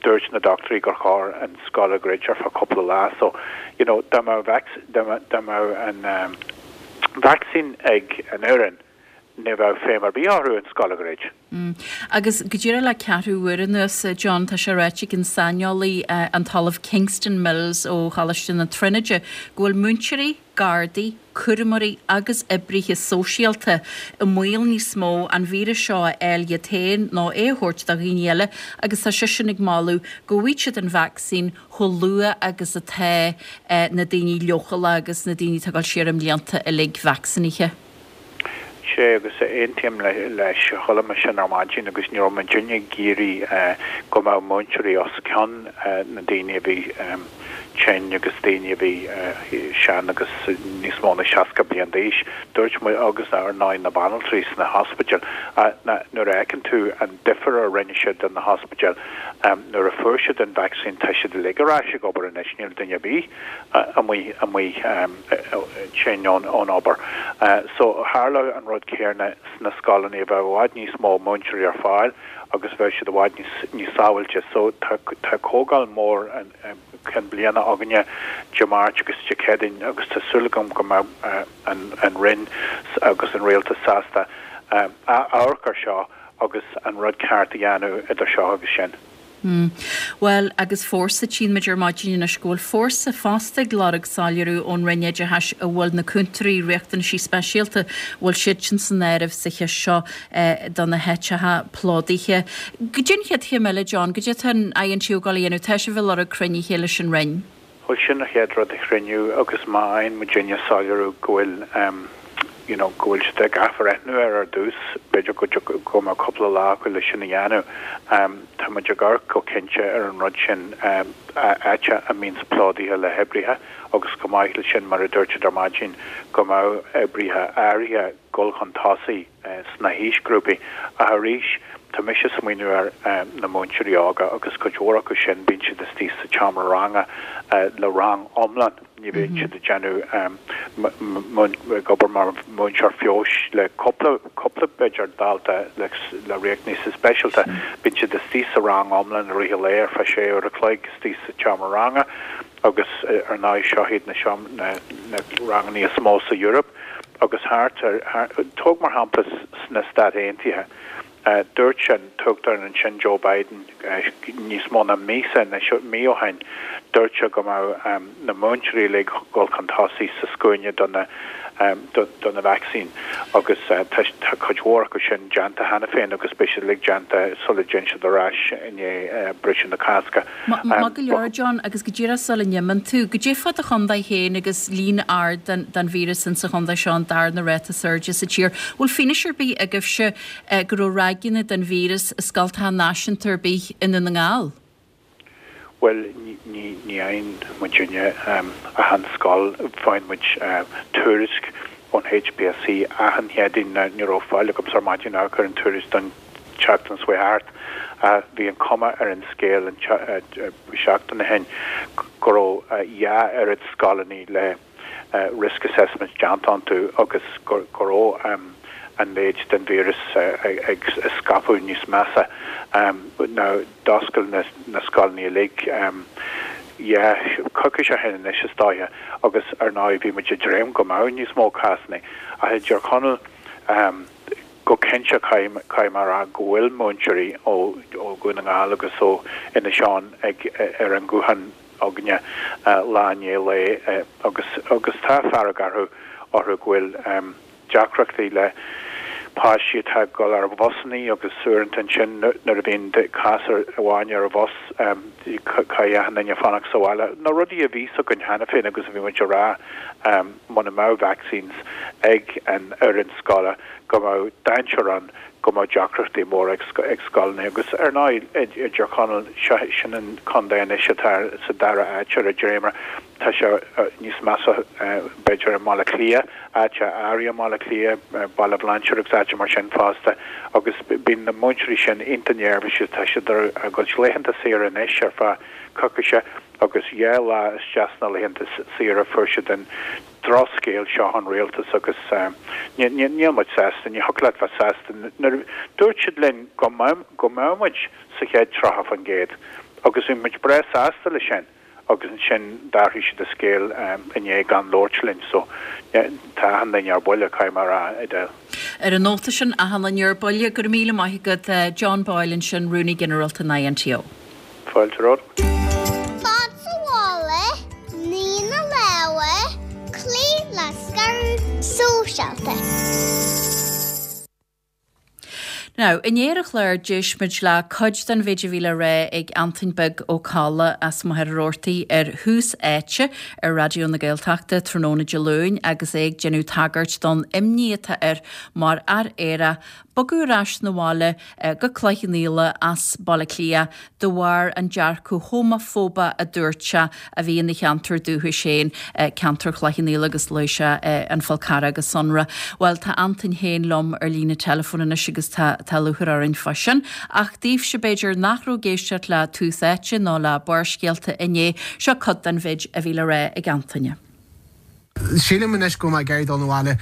dúirt na dochtúirí gur chóir an scoil a dhruid ar feadh cúpla lá so you know dá mbeadh dá mbeadh an vacsaín ag an fhoireann ní bheadh feidhm ar bith orthu an scoil a dhruid. Agus go díreach le ceathrú uair anuas, John, tá sé ráite ag an saineolaí an tOllamh Kingston Mills ó Choláiste na Tríonóide go bhfuil múinteoirí, gardaí, cúramóirí agus oibrithe sóisialta i mbaol níos mó an víreas seo a fháil iad féin nó é a thabhairt do dhaoine eile agus tá seisean ag moladh go bhfaighidh siad an vacsaín chomh luath agus atá na daoine leochaileacha agus na daoine atá ag dul siar i mblianta uilig vacsaínithe. Sea agus aontaím leis, chuala mé sin ar maidin agus ní raibh muidinne ag iarraidh go mbeadh múinteoirí os cionn na daoine a bhí tinn agus daoine a bhí sean agus níos mó ná seasca bliain d'aois, dúirt muid agus ar ndóigh na banaltraí sna hospidéil. Nuair a fheiceann tú an difear a rinne siad do na hospidéil nuair a fuair siad an vacsaín, tá siad uilig ar ais ag obair anois, níl duine ar bith amuigh amuigh tinn ón ón obair. So tharla an rud céanna sna scoileanna, bheadh i bhfad níos mó múinteoirí ar fáil agus bheadh siad i bhfad níos níos sábháilte. So tá tá comhdháil mór an cinn bliana againne Dé Máirt agus Dé Céadaoin agus tá súil agam go mbeidh an an Roinn agus an Rialtas sásta amharc ar seo agus an rud ceart a dhéanamh idir seo agus sin. Bhuel, agus Fórsa, tchíonn muid ar maidin anois go bhfuil Fórsa fosta ag lorg soiléiriú ón Roinn Oideachais an bhfuil na cúntóirí riachtanaisí speisialta, bhfuil siadsan san áireamh sa cheist seo do na háiteacha plódaithe. Goidé an chéad chéim eile, John, goidé atá an INTO ag dul a dhéanamh, tá sibh ag lorg cruinnithe leis an Roinn? Bhuel, sin an chéad rud, cruinniú agus má fhaigheann muidinne soiléiriú go bhfuil you know, go bhfuil siad ag athbhreithniú ar ar dtús, b'fhéidir go go mbeadh cúpla lá acu le sin a dhéanamh. Tá muid ag amharc go cinnte ar an rud sin áit a mbíonns plódaithe le hoibrithe agus chomh maith le sin mar a dúirt siad ar maidin go mbeadh oibrithe áirithe dul chun tosaigh sna haoisghrúpaí. Ach arís, tá mise ag smaoineamh ar na múinteoirí óga agus cuid mhór acu sin, bíonn siad istigh sa tseomra ranga le rang iomlán, ní bhíonn siad ag déanamh ag obair mar mhúinteoir feabhais le cúpla, cúpla b'fhéidir dalta le le riachtanaisí speisialta. Bíonn siad istigh sa rang iomlán i rith an lae ar feadh sé uair a chloig istigh sa tseomra ranga agus ar ndóigh seo iad na na na ranganna is mó sa Eoraip agus thart ar, tóg mar shampla sna Stáit Aontaithe, dúirt an tUachtarán ansin Joe Biden níos mó ná míosa anois, mí ó shin, dúirt sé go mbeadh na múinteoirí uilig ag dul chun tosaigh sa scuaine do na do na vacsaín agus tá cuid mhór acu sin déanta cheana féin agus beidh siad uilig déanta sula dtéann siad ar ais i ndiaidh briseadh na Cásca. Maith go leor, John, agus go díreach sula n-imíonn tú, goidé fá do chontae féin agus líon ard den víreas insa chontae seo, an darna ráta is airde sa tír. Bhfuil fianaise ar bith agaibhse go raibh ráigeanna den víreas i scoltacha náisiúnta ar bith i nDún na nGall? Bhuel, ní fhaigheann muidinne achan scoil, faigheann muid tuairisc ón HPSC achan Chéadaoin. Ní raibh fáil agamsa ar maidin ach ar an tuairisc don tseachtain seo thart. Bhí an chuma ar an scéal an seachtain ó shin go raibh dhá oiread scoileanna le risk assessments déanta iontu agus go raibh an méid den víreas ag scaipeadh níos measa. Now d'oscail na scoileanna uilig yeah coicís ó shin anois is dóiche agus ar ndóigh bhí muid ag dréim go mbeadh níos mó cásanna. Ach i dTír Chonaill go cinnte caithfidh mé a rá go bhfuil múinteoirí ó Dhún na nGall agus ó Inis Eoghain ag ar an nguthán againne lá i ndiaidh lae agus agus tá fearg orthu orthu go bhfuil deacrachtaí le páistí atá ag dul ar bhusanna agus uaireanta ansin nuair a bhíonn cás amháin ar an bhus caithfidh achan duine fanacht sa bhaile. Na rudaí a bhí a fhios againn cheana féin agus a bhí muid a rá muna mbeadh vaccines ag an fhoireann scoile go mbeadh dainséar ann go mbeadh deacrachtaí móra ag scoileanna agus ar ndóigh i dTír Chonaill sin an contae anois atá sa dara háit ar an dréimire. Tá sé níos measa b'fhéidir i mBaile Átha Cliath, áit áirithe i mBaile Átha Cliath, Baile Bhlainséir agus áiteanna mar sin fosta agus bíonn na múinteoirí sin iontach neirbhíseach, tá siad ar a gcuid laethanta saoire anois ar feadh coicíse agus dhá lá isteach sna laethanta saoire fuair siad an drochscéal seo ón rialtas agus níl muid sásta, ní thiocfadh leat bheith sásta. Nuair dúirt siad linn go mbeadh muid sa chéad tríocha faoin gcéad agus bhí muid breá sásta leis sin. agus ansin d'athraigh siad a scéal inné gan labhairt linn so tá achan duine ar buile, caithfidh mé a rá, Edel. Ar an nóta sin, achan duine ar buile, go raibh míle maith agat John Boyle ansin, Rúnaí Ginearálta an INTO. Fáilte romhat. Fad sa mhála, nigh na lámha, cloí le scaradh sóisialta. Now, inné ar an chlár d'éist muid le cuid den mhéid a bhí le rá ag Antoin Beag Ó Colla as Machaire Rabhartaigh ar Thús Áite ar Raidió na Gaeltachta tráthnóna Dé Luain agus é ag déanamh tagairt don imní atá air mar fhear aerach bogadh ar ais 'na bhaile go Cloich Cheann Fhaola as Baile Átha Cliath de bharr an dearcadh homafóbach a dúirt sé a bhí ina cheantar dúchais féin, ceantar Chloich Cheann Fhaola agus luaigh sé an Fál Carrach go sonrach. Bhuel, tá Antain féin liom ar líne teileafóin anois agus tá tá lúcháir orainn fá sin. Ach daoibhse b'fhéidir nach raibh ag éisteacht le Tús Áite nó le Barrscéalta inné, seo cuid den mhéid a bhí le rá ag Antaine. Sílim anois go bhfuil mé ag iarraidh dul 'na bhaile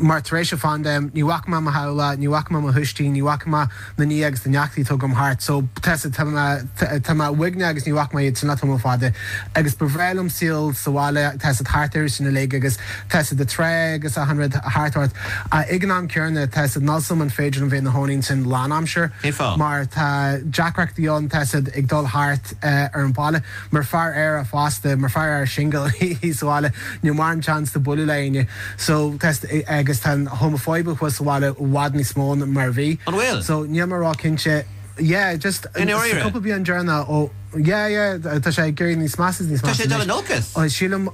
mar tar éis an phaindéim ní bhfaca mé mo theaghlach, ní bhfaca mé mo thuistí, ní bhfaca mé na nithe agus na neachtaí atá agam thart so tá tá mé tá mé uaigneach agus ní bhfaca mé iad sin le tamall fada agus ba bhreá liom saol sa bhaile tá siad thart ar sin uilig agus tá siad ag trá agus achan rud thart ort ach ag an am céanna tá siad níl 's agam an féidir liom bheith ina chónaí ansin lánaimsir Cén fáth? mar tá deacrachtaí ann tá siad ag dul thart ar an baile mar fear aerach fosta mar fear aerach single sa bhaile níl mórán seans de bualadh le éinne so tá agus tá an homafóibe thuas sa bhaile i bhfad níos mó ná mar a bhí. An bhfuil? So níl mé ró cinnte yeah just I ndáiríre? cúpla bliain deireanach ó yeah yeah tá sé ag éirí níos measa is níos Tá measa sé dul anois. in olcas? Ó sílim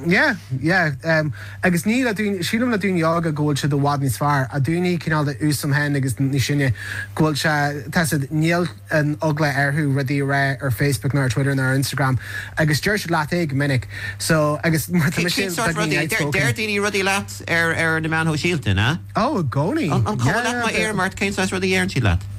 yeah yeah um, agus ní le daoine sílim le daoine óga go bhfuil siad i bhfad níos fearr a daoine cineál de ús am hen agus níos sine go bhfuil sé tá siad níl an eagla orthu rudaí a rá ar Facebook nó ar Twitter nó ar Instagram agus deir siad leat é go minic so agus mar tá mise Cén sórt beagáinín rudaí? Deir outspoken. deir daoine rudaí leat ar ar na meáin shóisialta, na? Oh, i gcónaí. An an cuma Yeah, leat má yeah, ar Mart cén sórt rudaí deireann siad leat?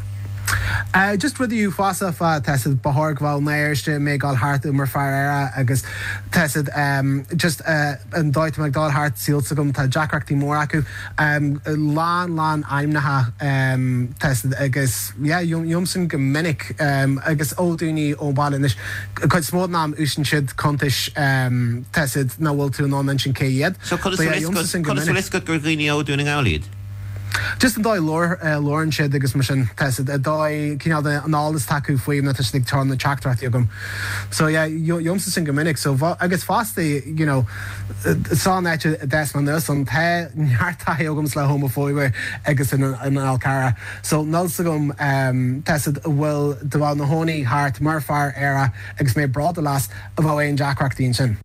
Uh, just rudaí uafásacha fá tá siad ba chóir go bhfuil néirste mé gáil thart mar fear aerach agus tá siad um, just uh, an dóigh ag dul thart síl agam tá deacrachtaí mór acu um, lán lán ainmneacha um, tá siad agus yeah, jomsan go minic um, agus ó daoine ón baile anois cuid mó ná úsáideann siad cuntais um, tá siad nach bhfuil tú an sin cé iad. So conas But yeah, jomsan go conas minic. bhfuil gur dhaoine ó Dhún na nGall iad? Just an dóigh labhrann siad agus mar sin tá a dóigh cineál an eolas acu faoi na ag tá na teachtaireachtaí agam. So yeah, jomsa sin go minic so agus fosta you know, san des man nus an te nearta agam le homafóibe agus in an Fhál Carrach. So níl 's agam um, tá bhfuil de bhfuil na hónaí thart mar fear aerach agus mé bródúil as a bheith aon deacrachtaí sin.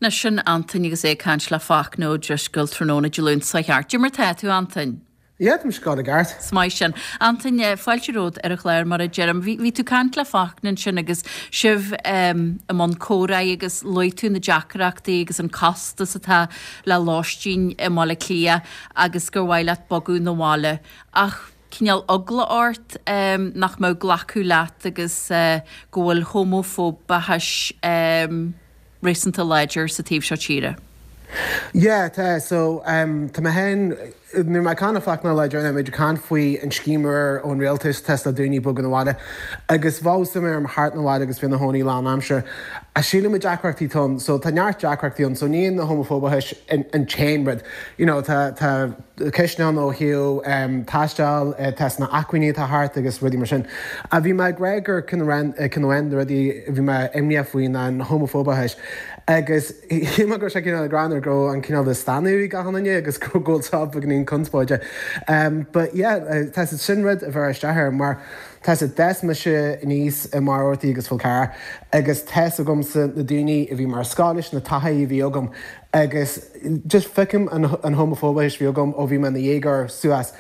Na sin Antain agus é ag caint le Fachtna Ó Drisceoil tráthnóna Dé Luain seo thart. Cad é mar tá tú Antain. Yeah, tá go ceart. Is maith sin. Antain eh, fáilte romhat ar an chlár mar a deirim. Bhí bhí tú caint le Fachtna sin agus sibh um, i mbun comhrá agus luaigh tú na deacrachtaí agus an costas atá le lóistín i mBaile Átha Cliath agus gur mhaith leat bogadh 'na bhaile. Ach cineál eagla ort um, nach mbeadh glacadh leat agus uh, go bhfuil homafóbachas um, réasúnta láidir sa taobh seo tíre. Yeah, tá so um, tá mé hen nu me can fach na le méidir can faoi an scéim ón rialtas tá le daoine bogadh 'na bhaile agus bhá mé am thart na bhaile agus bhí na hóí lá amsir. A síle me deacrachtaí ann, so tá neart deacrachtaí ann, so ní na homafóbachas an t-aon rud. You know, tá tá ceisteanna ó thaobh um, taisteal uh, tá na acmhainní atá thart agus rudaí mar sin. A bhí mé ag rá gur cin cin rudaí bhí mé imníoch faoin an homafóbachas. agus hí gur sé cin gran go an cineál de stanú gahanine agus go ggóil ní conspóide. Um, but yeah, uh, tá sin rud a bheith isteach mar tá des me se níos i mar ortaí agus Fál Carrach agus tá agam-sa na daoine a bhí mar scális na taithí a bhí agam agus just feicim an, an homafóbachas bhí agam ó bhí mé ina dhéagóir suas.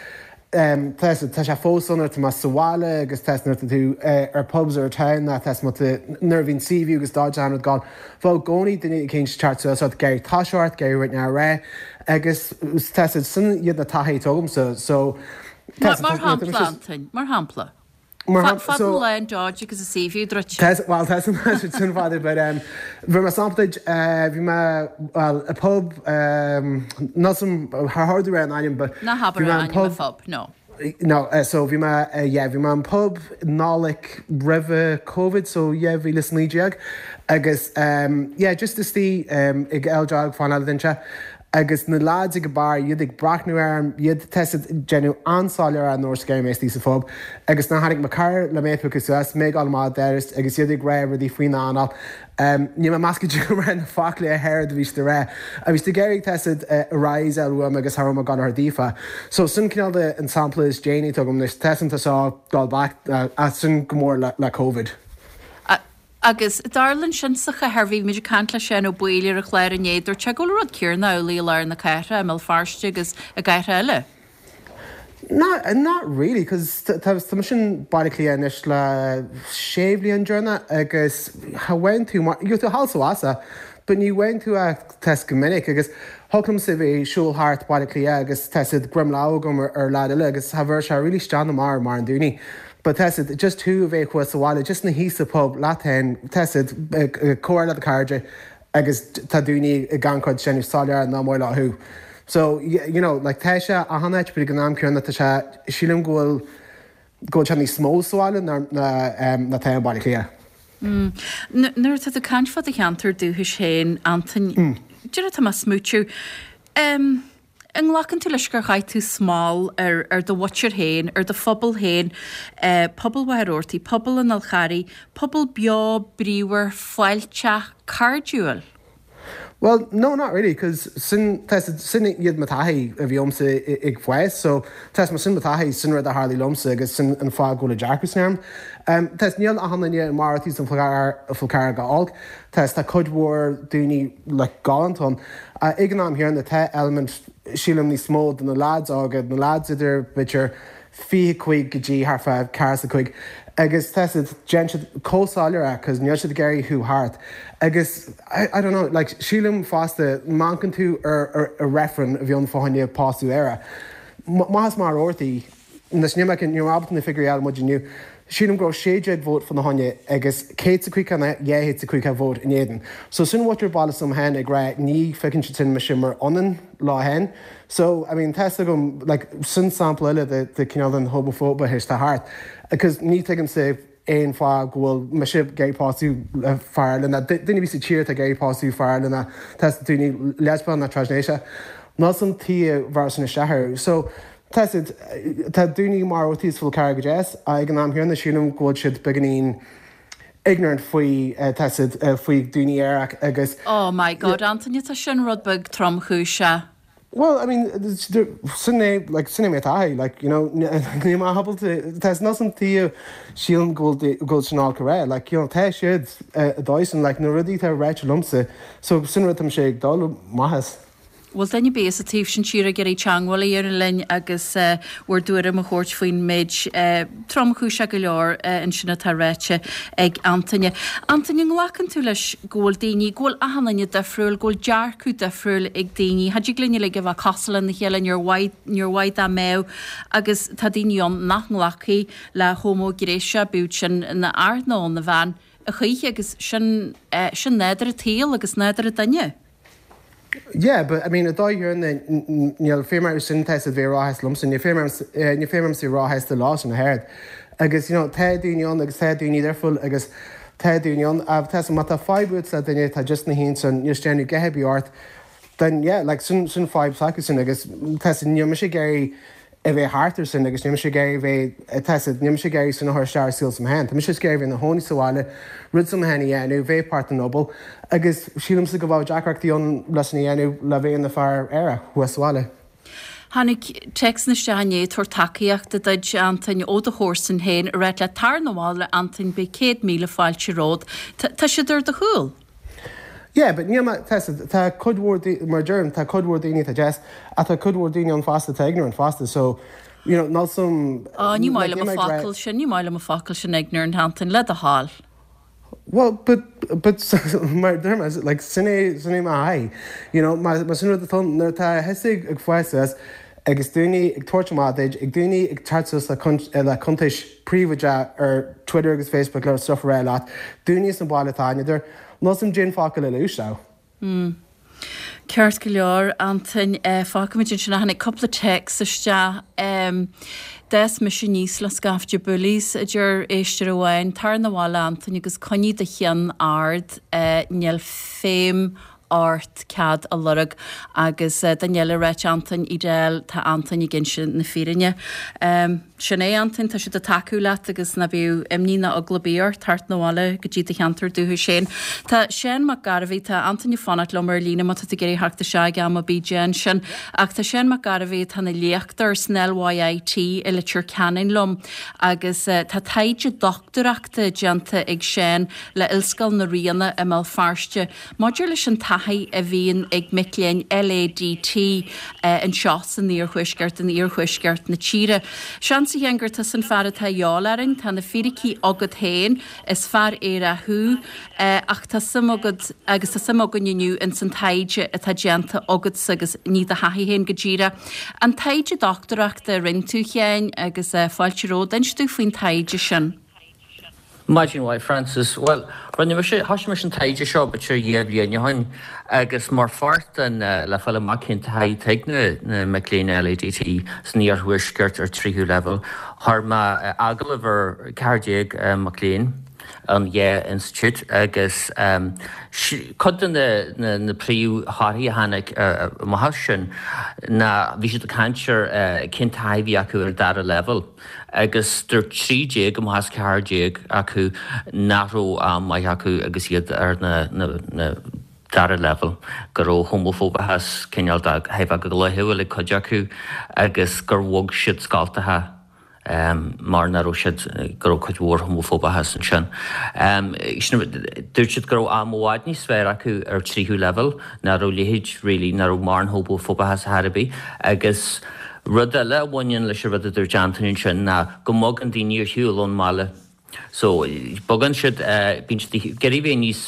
Um, tá tá sé fós ann tá sa bhaile agus tá tú uh, ar pubs ar town na tá nuair bhíonn CV agus dá an gáil. Fá gcóí duine cén teart géir táseart géir na ré agus tá sin iad na taithí agamsa so Mar shampla Antain, mar shampla. Fad le an Dodge agus a CV druid. Well sin fada but um, bhí me sampla bhí me well a pub um, ná thar an ainm but Ná habair an ainm pub no. No, uh, so bhí me uh, yeah, bhí me an pub Nollaig roimh COVID so yeah, bhí le naoi agus um, yeah, just istigh um, ag Eldrog fan dinse. agus na lads ag bar iad ag breathnú orm iad tá déanamh an-soiléir an nóir scéim sa phub agus na tháinig mo chara le mé agus suas mé má deris agus iad ag rá rudaí faoin anáil. Um, ní me measca go na fále a héir a bhí de ré. A bhí géirí tested rise uam agus har gan ar dífa. So sin cineál an sampla is déanaí agam leis tesan sá gáil back uh, as sin go mór le, le COVID. Agus darlann sin sa chathair bhí muid ag caint le sin ó buile a chléir an éidir te go rud céanna i lár na cathrach i mBéal Feirste agus i gcathracha eile. Not, not really, cos tá mise in Baile Átha Cliath anois le sé bhliain deireanach agus cha bhfaigheann tú mar, gheobhaidh tú thall is abhus, but ní bhfaigheann tú é tá go minic agus thig liomsa bheith ag siúl thart Baile Átha Cliath agus tá siad greim lámh agam ar, ar lad eile agus cha bheadh sé really stand amach mar an daoine. But tá siad just tú a bheith thuas sa bhaile, just ina shuí sa pub leat féin, tá siad ag comhrá le do chairde agus tá daoine ag gan chuid sin soiléir ná maith leo thú. So, you know, like tá sé achan áit but ag an am céanna tá sé sílim go bhfuil go bhfuil sé níos mó sa bhaile ná ná tá i mBaile Átha Cliath. Mm. Nuair atá tú ag caint fá do cheantar dúchais féin, Antain, mm. Déarfaidh tá mé smúitiú. Um, an nglacann tú leis gur chaith tú smál ar, ar do mhuintir féin, ar do phobal féin, eh, pobal Mhachaire Rabhartaigh, pobal an Fhál Charraigh, pobal beo, bríomhar, fáilteach, cairdiúil? Well, no, not really, cos sin sin iad mo taithí a bhí agamsa ag fás, so tá sin mo taithí sin rud a tharla liomsa agus sin an fáth go bhfuil dearcadh sin orm. Um, tá níl achan duine i Machaire Rabhartaigh san Fhál Carrach go holc, tá tá cuid mhór daoine le galánta ann. Uh, ag an am céanna tá element sílim níos mó de na lads óga, na lads idir b'fhéidir fiche cúig go dtí thart fá ceathracha cúig agus tá siad déanann siad chomh soiléir é cos níl siad ag iarraidh thú thart agus I, I don't know like sílim fosta má amharcann tú ar, ar, ar referendum a bhí ann fá choinne pósadh aerach. Más Machaire Rabhartaigh nas ní ní ábalta na figiúirí a fháil muid inniu. Sílim go raibh sé déag vóta fá choinne agus céad a cúig dhá chéad a cúig vóta in éadan. So sin muintir baile s'agam féin ag rá ní fheiceann siad sin mise mar ionann leo féin. So I mean tá agam like, sin sampla eile de, de cineál den homafóibe atá thart. Because ní thuigimse aon fáth go bhfuil mise ag iarraidh pósadh le fear eile duine sa tír ag iarraidh pósadh fear eile tá daoine lesbian na trasghnéasach. Ná san tí bhar sin isteach. So tá tá daoine mar is Fál Carrach go deas ag an am céanna sílim go bhfuil siad beagáinín ignorant faoi tá siad faoi daoine aerach agus Oh my God, Anthony tá sin rud beag tromchúiseach. Well, I mean, sin é like sin é mé taithí, like you know ní má ábalta tá ná san tí sílim go bhfuil sin all correct, like you know tá siad dósan like na rudaí tá ráite liomsa, so sin rud tá sé ag dul maitheas. Bhfuil duine ar bith sa taobh sin tíre ag iarraidh teagmháil a dhéanamh linn agus bhur dtuairim a thabhairt faoin méid tromchúiseach go leor ansin atá ráite ag Antaine. Antaine nglacann tú leis go bhfuil daoine, go bhfuil achan duine difriúil, go bhfuil dearcadh difriúil ag daoine. Cha dtig linn uilig a bheith cosúil lena chéile níor mhaith níor mhaith dá mbeadh agus tá daoine ann nach nglacfaidh le homaighnéasach bíodh sin ina fhear nó ina bhean a choíche agus sin sin nádúr an tsaoil agus nádúr an duine. Yeah, but I mean, a dóigh níl féim sin tá a bheith ráthas liomsa, ní féim sa ráthas de lá sin na héad. Agus you know, tá daoine ann agus tá daoine difriúil agus tá daoine ann tá má tá fadhb le duine tá just na híon san níos déanú gethe bí ort, then yeah, like sin sin fadhb s'acu sin agus tá níl mise ag iarraidh a bheith thart ar sin agus níl mise ag iarraidh bheith tá níl mise ag iarraidh sin a chur isteach saol s'agam féin. Tá mise ag iarraidh bheith ina chónaí sa bhaile, rud s'agam féin a dhéanamh, bheith páirt den phobal agus sílimse go bhfuil deacrachtaí ann leis sin a dhéanamh le bheith ina fear aerach thuas sa bhaile. Tháinig téacs isteach inné ag tabhairt tacaíochta duit Antain ó do chomharsan féin a rá leat tar 'na bhaile Antain beidh céad míle fáilte romhat. Tá siad ar do chúl. Yeah, but níl tá tá cuid mhór mar deirim tá cuid mhór daoine tá deas ach tá cuid mhór daoine ann fosta tá ignorant fosta so you know níl some Á ní maith liom an focal sin, ní maith liom an focal sin ignorant Antain le do thoil. Well, but but mar deirim like sin é sin é m'aghaidh you know mar mar sin rud atá nuair atá thusa ag fás suas agus daoine ag tabhairt amach duit ag daoine ag teacht suas le le cuntais príobháideach ar Twitter agus Facebook le stuff a rá leat daoine san bhaile atá idir Níl 's a'm cén focal eile a úsáid. Mm. Ceart go leor Antain eh, fágfaimid ansin tháinig cúpla téacs isteach um, D'fhás mise aníos le scaifte bullies a deir éisteoir amháin tar 'na bhaile Antain agus coinnigh do cheann ard eh, níl féim ort cead a lorg agus uh, duine eile ag ráit Antain Edel tá Antain ag inse na fírinne. Um, Sin é, Antain, tá siad ag tacú leat agus ná bíodh imní ná eagla ar bith ort theacht 'na bhaile go dtí do cheantar dúchais féin. Tá Seán Mac Gairbhí, tá Antain ag fanacht liom ar líne má tá tú ag iarraidh theacht isteach ag am ar bith déan sin. Ach tá Seán Mac Gairbhí atá ina léachtóir san LYIT i Leitir Ceanainn liom agus tá taighde dochtúireachta déanta ag Seán le Ollscoil na Ríona i mBéal Feirste maidir leis an taithí a bhíonn ag mic léinn LADT anseo san iarthuaisceart, in iarthuaisceart na tíre. Seans, a Sheáin, gur tusa an fear atá a dhíobháil orainn, tá na fíricí agat féin, is fear aerach thú, ach tá suim agat agus tá suim againn inniu ins an taighde atá déanta agatsa agus ní do thaithí féin go díreach. An taighde dochtúireachta a rinne tú, a Sheáin, agus fáilte romhat, inis dúinn faoin taighde sin. Maidin mhaith Frances. Bhuel, rinne mise, thoisigh mise an taighde seo b'fhéidir dhá bhliain ó shin agus mar pháirt den, le fáil amach cén taithí atá ag na, na mic léinn LADT san iarthuaisceart ar tríú leibhéal, chuir mé agallamh ar ceathair déag mac léinn an dhá institiúid agus cuid de na, na, na príomhthorthaí a tháinig amach as sin ná bhí siad ag caint ar cén taithí a bhí acu ar dara leibhéal. agus dúirt trí déag amach as ceathair déag acu nach raibh am maith acu agus iad ar na dara leibhéal, go raibh homafóbachas cineál de thar a bheith go laethúil ag cuid acu agus gur bhog siad scoltacha mar nach raibh siad, go raibh cuid mhór homafóbachas ansin. Dúirt siad go raibh am i bhfad níos fearr acu ar tríú leibhéal, nach raibh leithéid really, nach raibh mórán homafóbachas ar chor ar bith agus Rud eile a bhaineann leis an rud a dúirt Antaine ansin ná go mbogann daoine ar shiúl ón mbaile. So, bogann siad, bíonn siad ag iarraidh bheith níos,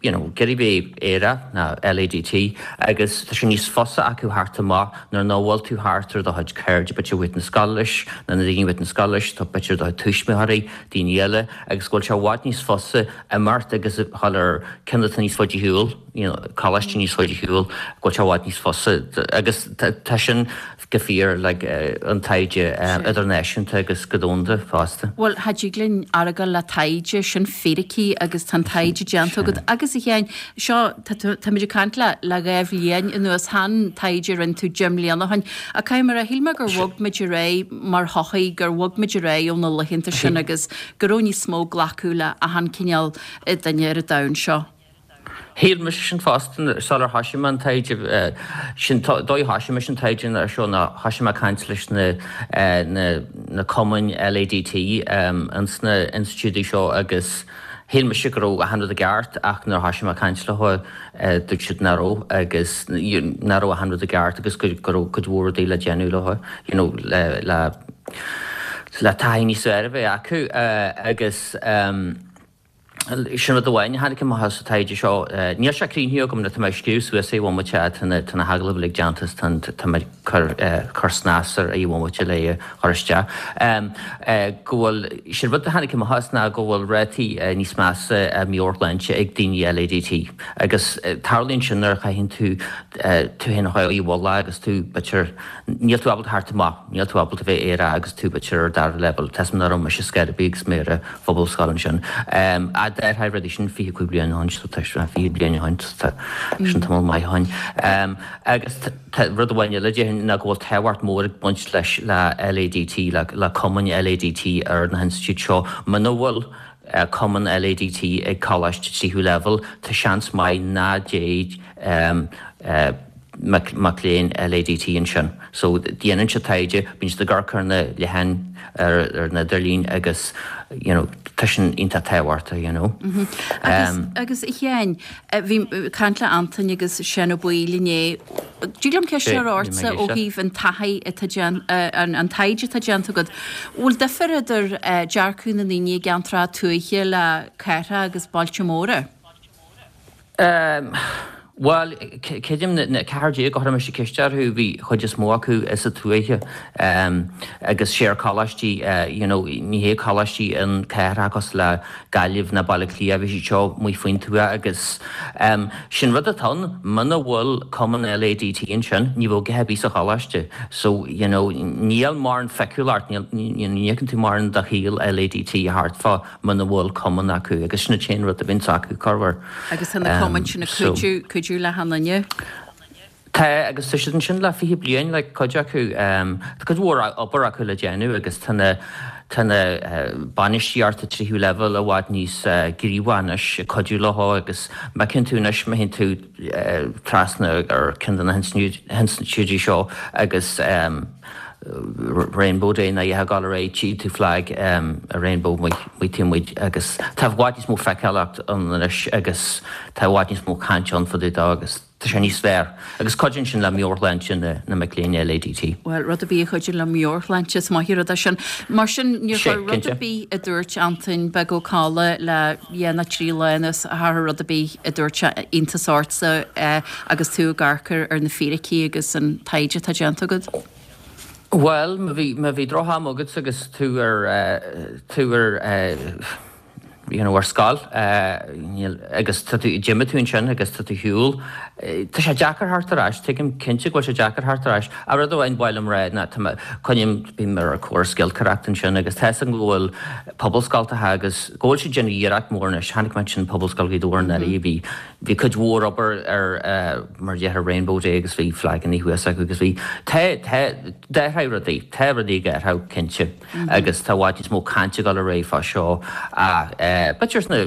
you know, ag iarraidh bheith aerach ná LADT agus tá sé níos fusa acu theacht amach nuair nach bhfuil tú thart ar do chuid cairde, b'fhéidir uait na scoile leis, nó na daoine uait na scoile leis, tá b'fhéidir do chuid tuismitheoirí, daoine eile agus go bhfuil sé i bhfad níos fusa imeacht agus a dhul ar ceann atá níos faide ar shiúl, you know, coláiste níos faide ar shiúl, go bhfuil sé i bhfad níos fusa agus tá sin go fíor like an taighde idirnáisiúnta agus go domhanda fosta. Bhuel, cha dtig linn argáil le taighde, sin fíricí agus tá an taighde déanta agat. Agus a Sheáin, seo, táimid ag caint le le dhá bhliain anuas, chan taighde a rinne tú deich mbliana ó shin. Ach caithfidh mé a rá, shíl mé gur bhog muid ar aghaidh mar shochaí, gur bhog muid ar aghaidh ó na laethanta sin agus go raibh níos mó glacadh le achan cineál duine ar an domhan seo. Shíl mise sin fosta sular thoisigh mé an taighde. Sin dóigh a thoisigh mise an taighde ar seo ná thoisigh mé ag caint leis na na cumainn LADT ins na institiúidí seo agus shíl mise go raibh achan rud i gceart ach nuair a thoisigh mé ag caint leo dúirt siad nach raibh agus nach raibh achan rud i gceart agus go raibh cuid mhór rudaí le déanamh leo you know le le le taithí níos fearr a bheith acu agus Sin rud amháin a tháinig amach as an taighde seo. Níl sé críochnaithe agam nó tá mé ag scríobh suas é i bhomaite, tá na tá na hagallaimh uilig déanta is tá tá mé ag cur cur snas air i bhomaite le é a chur isteach. Go bhfuil, sin rud a tháinig amach as ná go bhfuil rátaí níos measa meabhairshláinte ag daoine LADT agus tarlaíonn sin nuair a chaitheann tú tú féin a chur i bhfolach agus tú b'fhéidir níl tú ábalta theacht amach, níl tú ábalta bheith aerach agus tú b'fhéidir ar dara leibhéal. Tá 'fhios a'm nach raibh mise scor ar bith agus mé ar an phobalscoil ansin. A déarfá rudaí sin fiche cúig bliain ó shin, so tá sé fiche bliain ó shin, tá sin tamall maith ó shin. Agus tá rud amháin eile déarfainn ná go bhfuil tábhacht mór ag baint leis le LADT, le le cumainn LADT ar na hinstitiúid seo. Muna bhfuil cumann LADT ag coláiste tríú leibhéal, tá seans maith ná dtéid mac mac léinn LADT ansin. So déanann siad taighde, bíonn siad ag amharc ar na leatháin ar ar an idirlíon agus you know tá sin iontach tábhachtach you know. Agus agus a Sheáin, bhí caint le Antain agus Seán Ó Baoill inné. Dtig liom ceist a chur ortsa ó thaobh an taithí atá déan an an taighde atá déanta agat. Bhfuil difear idir dearcadh na ndaoine i gceantracha tuaithe le cathracha agus bailte móra? Bhuel, creidim na ceathair déag a chuir mise ceist orthu, bhí chuid is mó acu sa tuaithe agus sé ar coláistí, you know, ní hé coláistí an cathair cosúil le Gaillimh ná Baile Átha Cliath, bhí siad seo amuigh faoin tuath agus sin rud atá ann, muna bhfuil cumann LADT ansin, ní bheadh a dhath ar bith sa choláiste. So, you know, níl mórán feiceálacht, níl, ní fheiceann tú mórán de shaol LADT thart fá muna bhfuil cumann acu agus sin an t-aon rud a bhíonns acu, corruair. Agus tá na cumainn sin ag cuidiú, cuidiú le achan duine. Tá agus tá siad ansin le fiche bliain like cuid acu tá cuid mhór obair acu le déanamh agus tá na tá na bainistíocht tríú leibhéal i bhfad níos gníomhaí anois ag cuidiú leo agus má fheiceann tú anois má théann tú trasna ar ceann de na hinstitiúidí seo agus Rainbow Day nó a dhath ag dul ar aghaidh tchí tú flag a Rainbow amuigh taobh amuigh agus tá i bhfad níos mó feiceálacht ann anois agus tá i bhfad níos mó caint ann fá dtaobh dó agus Tá sé níos fearr. Agus cuidíonn sin le meabhairshláinte na mac léinn LADT. Bhuel, rud ar bith a chuidíonn le meabhairshláinte, is maith an rud é sin. Mar sin, níor Sé, chuir rud ar cinnte. bith a dúirt Antain Beag Ó Cadhla le dhá nó trí lá anuas, ar chuir rud ar bith a dúirt sé iontas ortsa agus tú ag amharc ar ar na fíricí agus an taighde atá déanta agat? Bhuel, má bhí, má bhí droch-am agat agus tú ar, tú ar, you know, ar scoil agus tá tú, d'imigh tú ansin agus tá tú ar shiúl. Tá sé deacair theacht ar ais, tuigim cinnte go bhfuil sé deacair theacht ar ais. Ach rud amháin ba mhaith liom rá ná tá mé, coinním, bím ar córas giolcaireacht ansin agus tá 'fhios agam go bhfuil pobalscoltacha agus go bhfuil siad ag déanamh iarracht mór anois. Chonaic mé ansin Pobalscoil Ghaoth Dobhair anuraidh, bhí, bhí cuid mhór obair ar mar a déarfá Rainbow Day agus bhí flagannaí thuas acu agus bhí, tá, tá, d'athraigh rudaí, tá rudaí ag athrú cinnte. agus tá i bhfad níos mó cainte ag dul ar aghaidh fá seo ach b'fhéidir sna,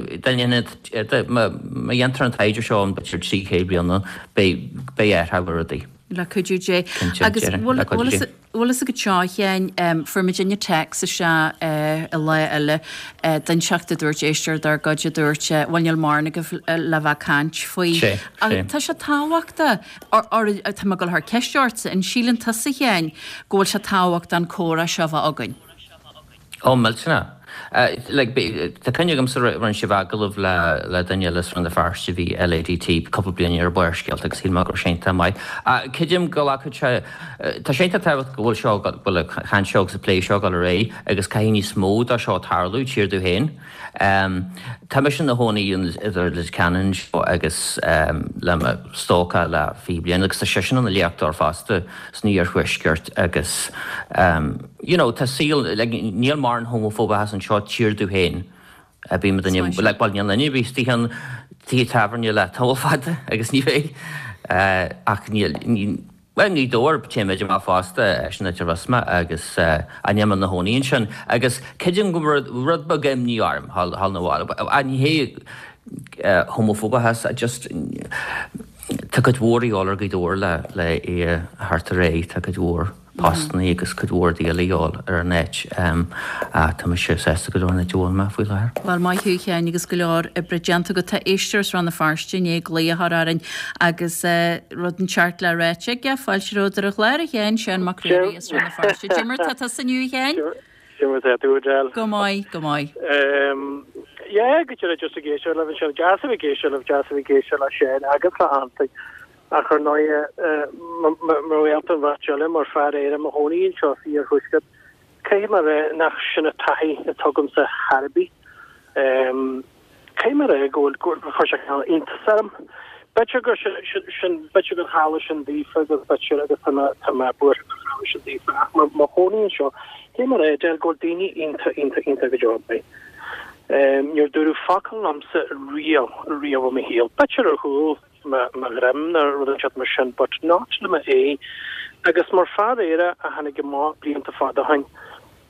má dhéantar an taighde seo in b'fhéidir trí chéad bliain beidh, beidh athrú ar rudaí. Le cuidiú Dé. Cinnte, Agus déarfainn, bhfuil le cuidiú Dé. bhfuil fhios agat seo, a Sheáin, fuair muidinne téacs isteach i lá eile d'inseacht a dúirt éisteoir dár gcuid a dúirt, bhuel níl mórán agaibh le bheith ag caint faoi. Sé, Ach sé. tá sé tábhachtach, tá mé ag dul a chur ceist ortsa, an síleann tusa, a Sheáin, go bhfuil sé tábhachtach an comhrá seo a bheith againn? Ó, millteanach. Like, tá cuimhne agamsa rinne sibh agallamh le le duine eile as Rann na Feirste a bhí LADT cúpla bliain ar Barrscéalta agus shíl mé go raibh sé iontach maith. Creidim go nglacfadh sé, tá sé iontach tábhachtach go bhfuil seo, go bhfuil an chaint seo agus an plé seo ag dul ar aghaidh agus caithfidh níos mó de seo tarlú, tír dom féin. Tá mise ina chónaí idir Leitir Ceanainn anseo agus le mo stócach le fiche bliain agus tá seisean ina léachtóir fosta san iarthuaisceart agus you know tá saol like níl mórán homafóbachas anseo tír dom féin. Bím duine like bhuel níl duine ar bith istigh ann tithe tábhairne le tamall fada agus ní bheidh ach níl Bhuel, i nGaoth Dobhair, téimid amach fosta, sin áit ar fhás mé agus níl mé ina chónaí ansin agus creidim go raibh rud beag imní orm thall na bhaile. Ach ní hé homafóbachas, just tá cuid mhór a dhíobháil ar Ghaoth Dobhair le le é a theacht ar aghaidh, tá cuid mhór. postannaí agus cuid mhór de dhíobháil ar an áit. Tá mise sásta go leor an áit a bhfuil mé faoi láthair. Bhuel, maith thú, a Sheáin, agus go leor oibre déanta agat. Tá éisteoir as Rann na Feirste i ndiaidh glaoch a chur orainn agus rud inteacht le ráite aige. Fáilte romhat ar an chlár, a Sheáin, Seán Mac Ruairí as Rann na Feirste. Cad é mar tá tusa inniu, a Sheáin? Cad é mar tá tú, Edel. Go maith, go maith. Yeah, go deas just ag éisteacht libh anseo. Deas a bheith ag éisteacht libh, deas a bheith ag éisteacht le Seán agus le Antaine. Ach ar ndóighe, mar ghaolta an bheirt eile, mar fear aerach i mo chónaí anseo sa iarthuaisceart, caithfidh mé a rá nach sin an taithí atá agamsa chor ar bith. Caithfidh mé a rá go bhfuil, gur chuir sé cineál iontas orm. B'fhéidir gur sin, b'fhéidir gur tharla sin daofa agus b'fhéidir, agus tá mé, tá mé buartha gur tharla sin daofa, ach mar mo chónaí anseo, caithfidh mé a rá, Edel, go bhfuil daoine iontach, iontach, iontach go deo maith. Níor dúradh focal liomsa riamh, riamh i mo shaol. B'fhéidir ar chúl mo dhroim nó rud inteacht mar sin but not le m'aghaidh. Agus mar fear aerach a tháinig amach blianta fada ó shin,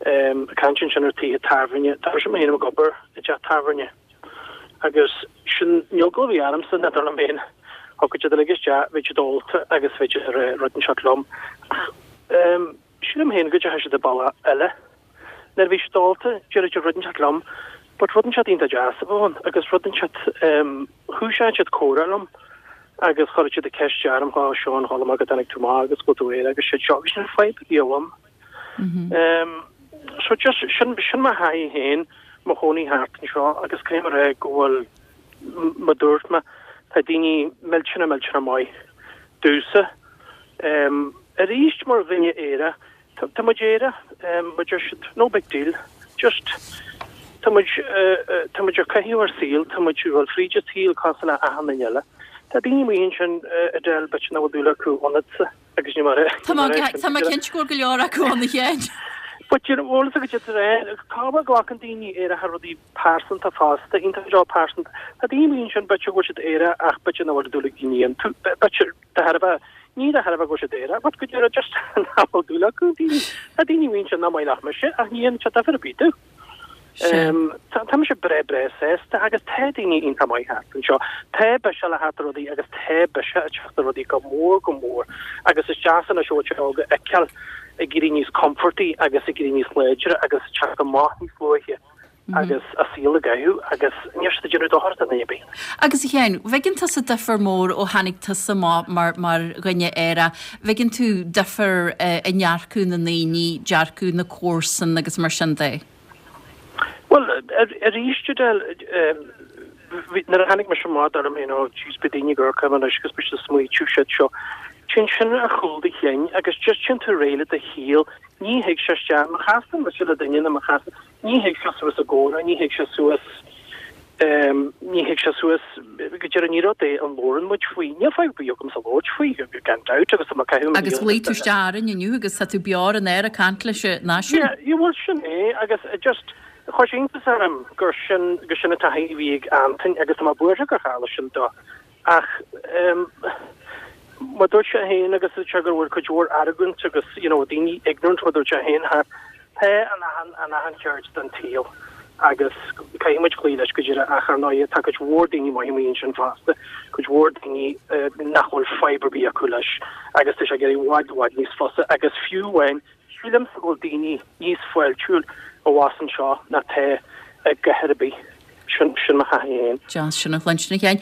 ag caint ansin ar tithe tábhairne, tá mise féin ag obair i dteach tábhairne agus sin, níl eagla ar bith ormsa, n'fheadar liom féin, thiocfadh siad uilig isteach, bheadh siad ólta agus bheadh siad ag rá rud inteacht liom. Ach sílim féin go dteachaigh siad an bealach eile. Nuair a bhí siad ólta, déarfadh siad rud inteacht liom but rud inteacht iontach deas a bheadh ann agus rud inteacht, thúiseodh siad comhrá liom agus chuirfeadh siad ceist orm, a Sheáin, chuala mé go dtáinig tú amach agus go bhfuil tú aerach agus siad seo agus níl fadhb ar bith agam. So just sin, sin mo thaithí féin, mo chónaí thart anseo agus caithfidh mé a rá go bhfuil, mar a dúirt mé, tá daoine millteanach millteanach maith domhsa. Arís mar dhuine aerach, Tá muid aerach, muid ar siad, no big deal, just tá muid, tá muid ag caitheamh ár saol, tá muid ag dul fríd an tsaol cosúil le achan duine eile. Tá daoine amuigh ansin Edel, b'fhéidir nach bhfuil dúil acu ionatsa agus ní mar é. Tá mé cinnte go bhfuil go leor acu ann a Sheáin. But you know, bhfuil a fhios agat é, cá bhfuil glacann daoine aeracha rudaí pearsanta fosta, iontach go deo pearsanta. Tá daoine amuigh ansin b'fhéidir go bhfuil siad aerach ach b'fhéidir nach bhfuil dúil ag daoine iontu, b'fhéidir de thairbhe Ní de thairbhe go bhfuil siad aerach, but go díreach just nach bhfuil dúil acu daoine. Tá daoine amuigh ansin nach maith leat mise ach ní dhéanann sé difear ar bith domh. Tá tá mise breá breá sásta agus tá daoine iontach maith thart anseo. Tá biseach le theacht ar rudaí agus tá biseach ag teacht ar rudaí go mór go mór agus is deas anois óige óga a fheiceáil ag éirí níos compordaí agus ag éirí níos láidre agus ag teacht amach níos luaithe agus a saol a gcaitheamh agus níl siad ag déanamh dochar do dhuine ar bith. Agus a Sheáin, bhfeiceann tusa difear mór ó tháinig tusa amach mar mar dhuine aerach, bhfeiceann tú difear i ndearcadh na ndaoine, dearcadh na comharsan agus mar sin de? Bhuel, arís, Edel, nuair a tháinig mise amach dúirt mé, you know, jeez, beidh daoine ag amharc orm anois agus beidh siad ag smaoitiú shit seo. Téann sin ar chúl do chinn agus just téann tú ar aghaidh le do shaol, ní thig sé isteach, má chasann mise le duine nó má chasann, ní thig sé suas i gcomhrá, ní thig sé suas, ní thig sé suas, go deireadh ní rud é an labhrann muid faoi, níl fadhb ar bith agamsa labhairt faoi, gan dabht, agus tá mé ag caitheamh mo Agus shaol ghlaoigh tú isteach orainn inniu agus tá tú beo ar an aer ag caint leis an náisiún. Yeah, yeah, bhuel sin é agus just chuir sé iontas orm gur sin, gur sin an taithí a bhí ag Antain agus tá mé buartha gur tharla sin dó. Ach mar dúirt sé féin agus dúirt sé go bhfuil cuid mhór argóint agus you know daoine ignorant mar dúirt sé féin thart, tá in achan in achan cheird den tsaol agus caithfidh muid cloí leis go deireadh ach ar ndóigh tá cuid mhór daoine maithe amuigh ansin fosta, cuid mhór daoine nach bhfuil fadhb ar bith acu leis agus tá sé ag éirí i bhfad i bhfad níos fusa agus fiú amháin sílimse go bhfuil daoine níos fáiltiúil abhus anseo ná tá i gcathair ar bith. Sin, sin mo thaithí féin. Deas sin a chluinstin, a Sheáin.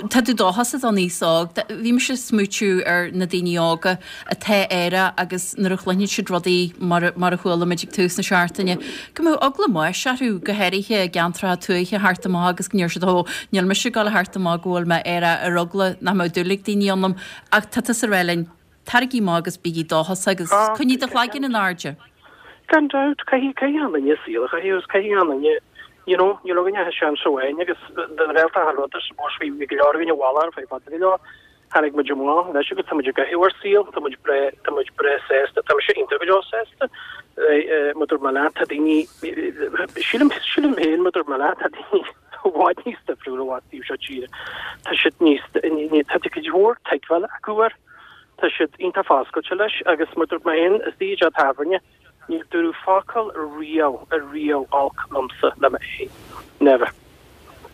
Tá tú dóchasach don aos óg. Bhí mise ag smaoitiú ar na daoine óga atá aerach agus nuair a chluineann siad rudaí mar, mar a chuala muid ag tús na seachtaine, go mbeadh eagla báis orthu, go háirithe i gceantracha tuaithe thart amach agus go ndeir siad, ó, níl mise ag dul thart amach go bhfuil mé aerach ar eagla nach mbeadh dúil ag daoine ionam. Ach tá tusa ag rá linn, Taraigí amach agus bígí dóchasach agus coinnigh do chloigeann in airde. Gan dabht, caithfidh, caithfidh achan duine saol a chaitheamh agus caithfidh achan duine, you know, níl againn ach seans amháin agus den Ghaeltacht an rud is mó bhí go leor againn i bhfalach ar feadh fada go leor. Tháinig muid amach anois agus tá muid ag caitheamh ár saol, tá muid breá, tá muid breá sásta, tá mise iontach go deo sásta. Mar dúirt mé leat, tá daoine, sílim, sílim féin mar dúirt mé leat, tá daoine i bhfad níos difriúla abhus taobh seo tíre. Tá siad níos, tá cuid mhór tuigbheáil acu air. Tá siad iontach foscailte leis agus mar dúirt mé féin, istigh i dteach tábhairne, níor dúradh focal riamh, riamh olc liomsa le m'aghaidh. Never.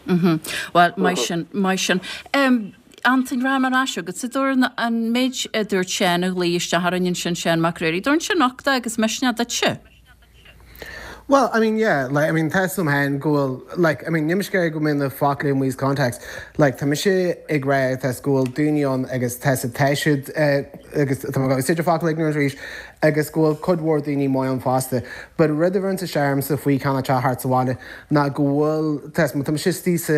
Mhm. Bhuel, maith sin, maith sin. Antain, rachaidh mé ar ais chugatsa, dtabharann an méid a dúirt Seán a ghlaoigh isteach orainn ansin, Seán Mac Ruairí, dtabharann sin nochtadh agus misneach duitse? Well, I mean, yeah, like, I mean, tá 'fhios a'm féin go bhfuil, like, I mean, níl mise ag iarraidh go mbeidh na foclaí amuigh as context, like, tá mise ag rá tá 'fhios go bhfuil daoine ann agus tá 'fhios tá siad, eh, agus tá mé ag úsáid an focal ignorant arís, agus go bhfuil cuid mhór daoine maith ann fosta. But rud a bheireann isteach ormsa faoi cineál teacht thart sa bhaile ná go bhfuil, tá 'fhios, má tá mise istigh sa,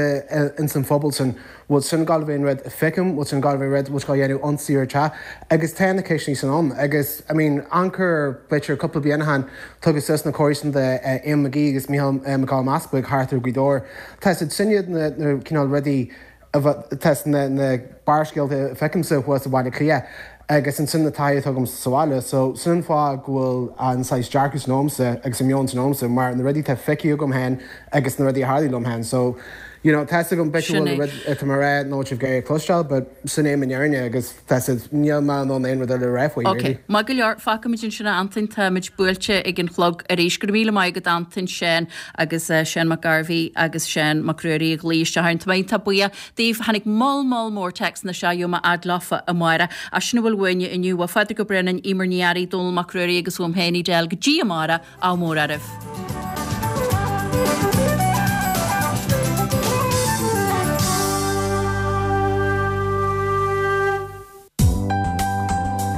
ins an phobal sin, bhfuil sin ag gabháil a bheith an rud a feicim, bhfuil sin ag gabháil a bheith an rud bhfuil sé ag dhéanamh ionsaí ar teach agus tá na ceisteanna sin ann agus I mean anchor b'fhéidir cúpla bliain ó shin tugadh suas na comharsan de Eamon McGee agus Mícheál Mac Giolla Easbuig thart ar Ghaoth Dobhair. Tá siad sin iad na na cineál rudaí a tá na na barrscéalta a feicimse thuas i Baile Átha Cliath agus ansin na taithí atá agam sa bhaile so sin an fáth go bhfuil an saghas dearcadh sin agamsa agus an meon sin agamsa mar na rudaí atá feicthe agam féin agus na rudaí a tharlaigh liom féin so you know tá 'fhios agam b'fhéidir go bhfuil an rud atá mé a rá nach bhfuil sibh ag iarraidh a chloisteáil but sin é mo fhírinne agus tá 'fhios a'd níl mé in ann aon rud eile a rá faoi Ok, really. maith go leor, fágfaimid ansin a Antain, táimid buailte ag an chlog arís. Go raibh míle maith agat Antain, Seán agus Seán Mac Gairbhí agus Seán Mac Ruairí a ghlaoigh isteach orainn. Tá mé iontach buíoch daoibh. Tháinig moll moll mór téacsanna isteach, gheobhaidh mé fhad leofa amárach. Ach sin a bhfuil uainne inniu. Ó Phádraig Ó Braonáin, Eimear Ní Fhearraigh, Dónall Mac Ruairí agus uaim féin, Edel, go dtí amárach, ádh mór oraibh.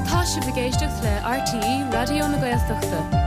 Tá sibh ag éisteacht le RTÉ Raidió na Gaeltachta.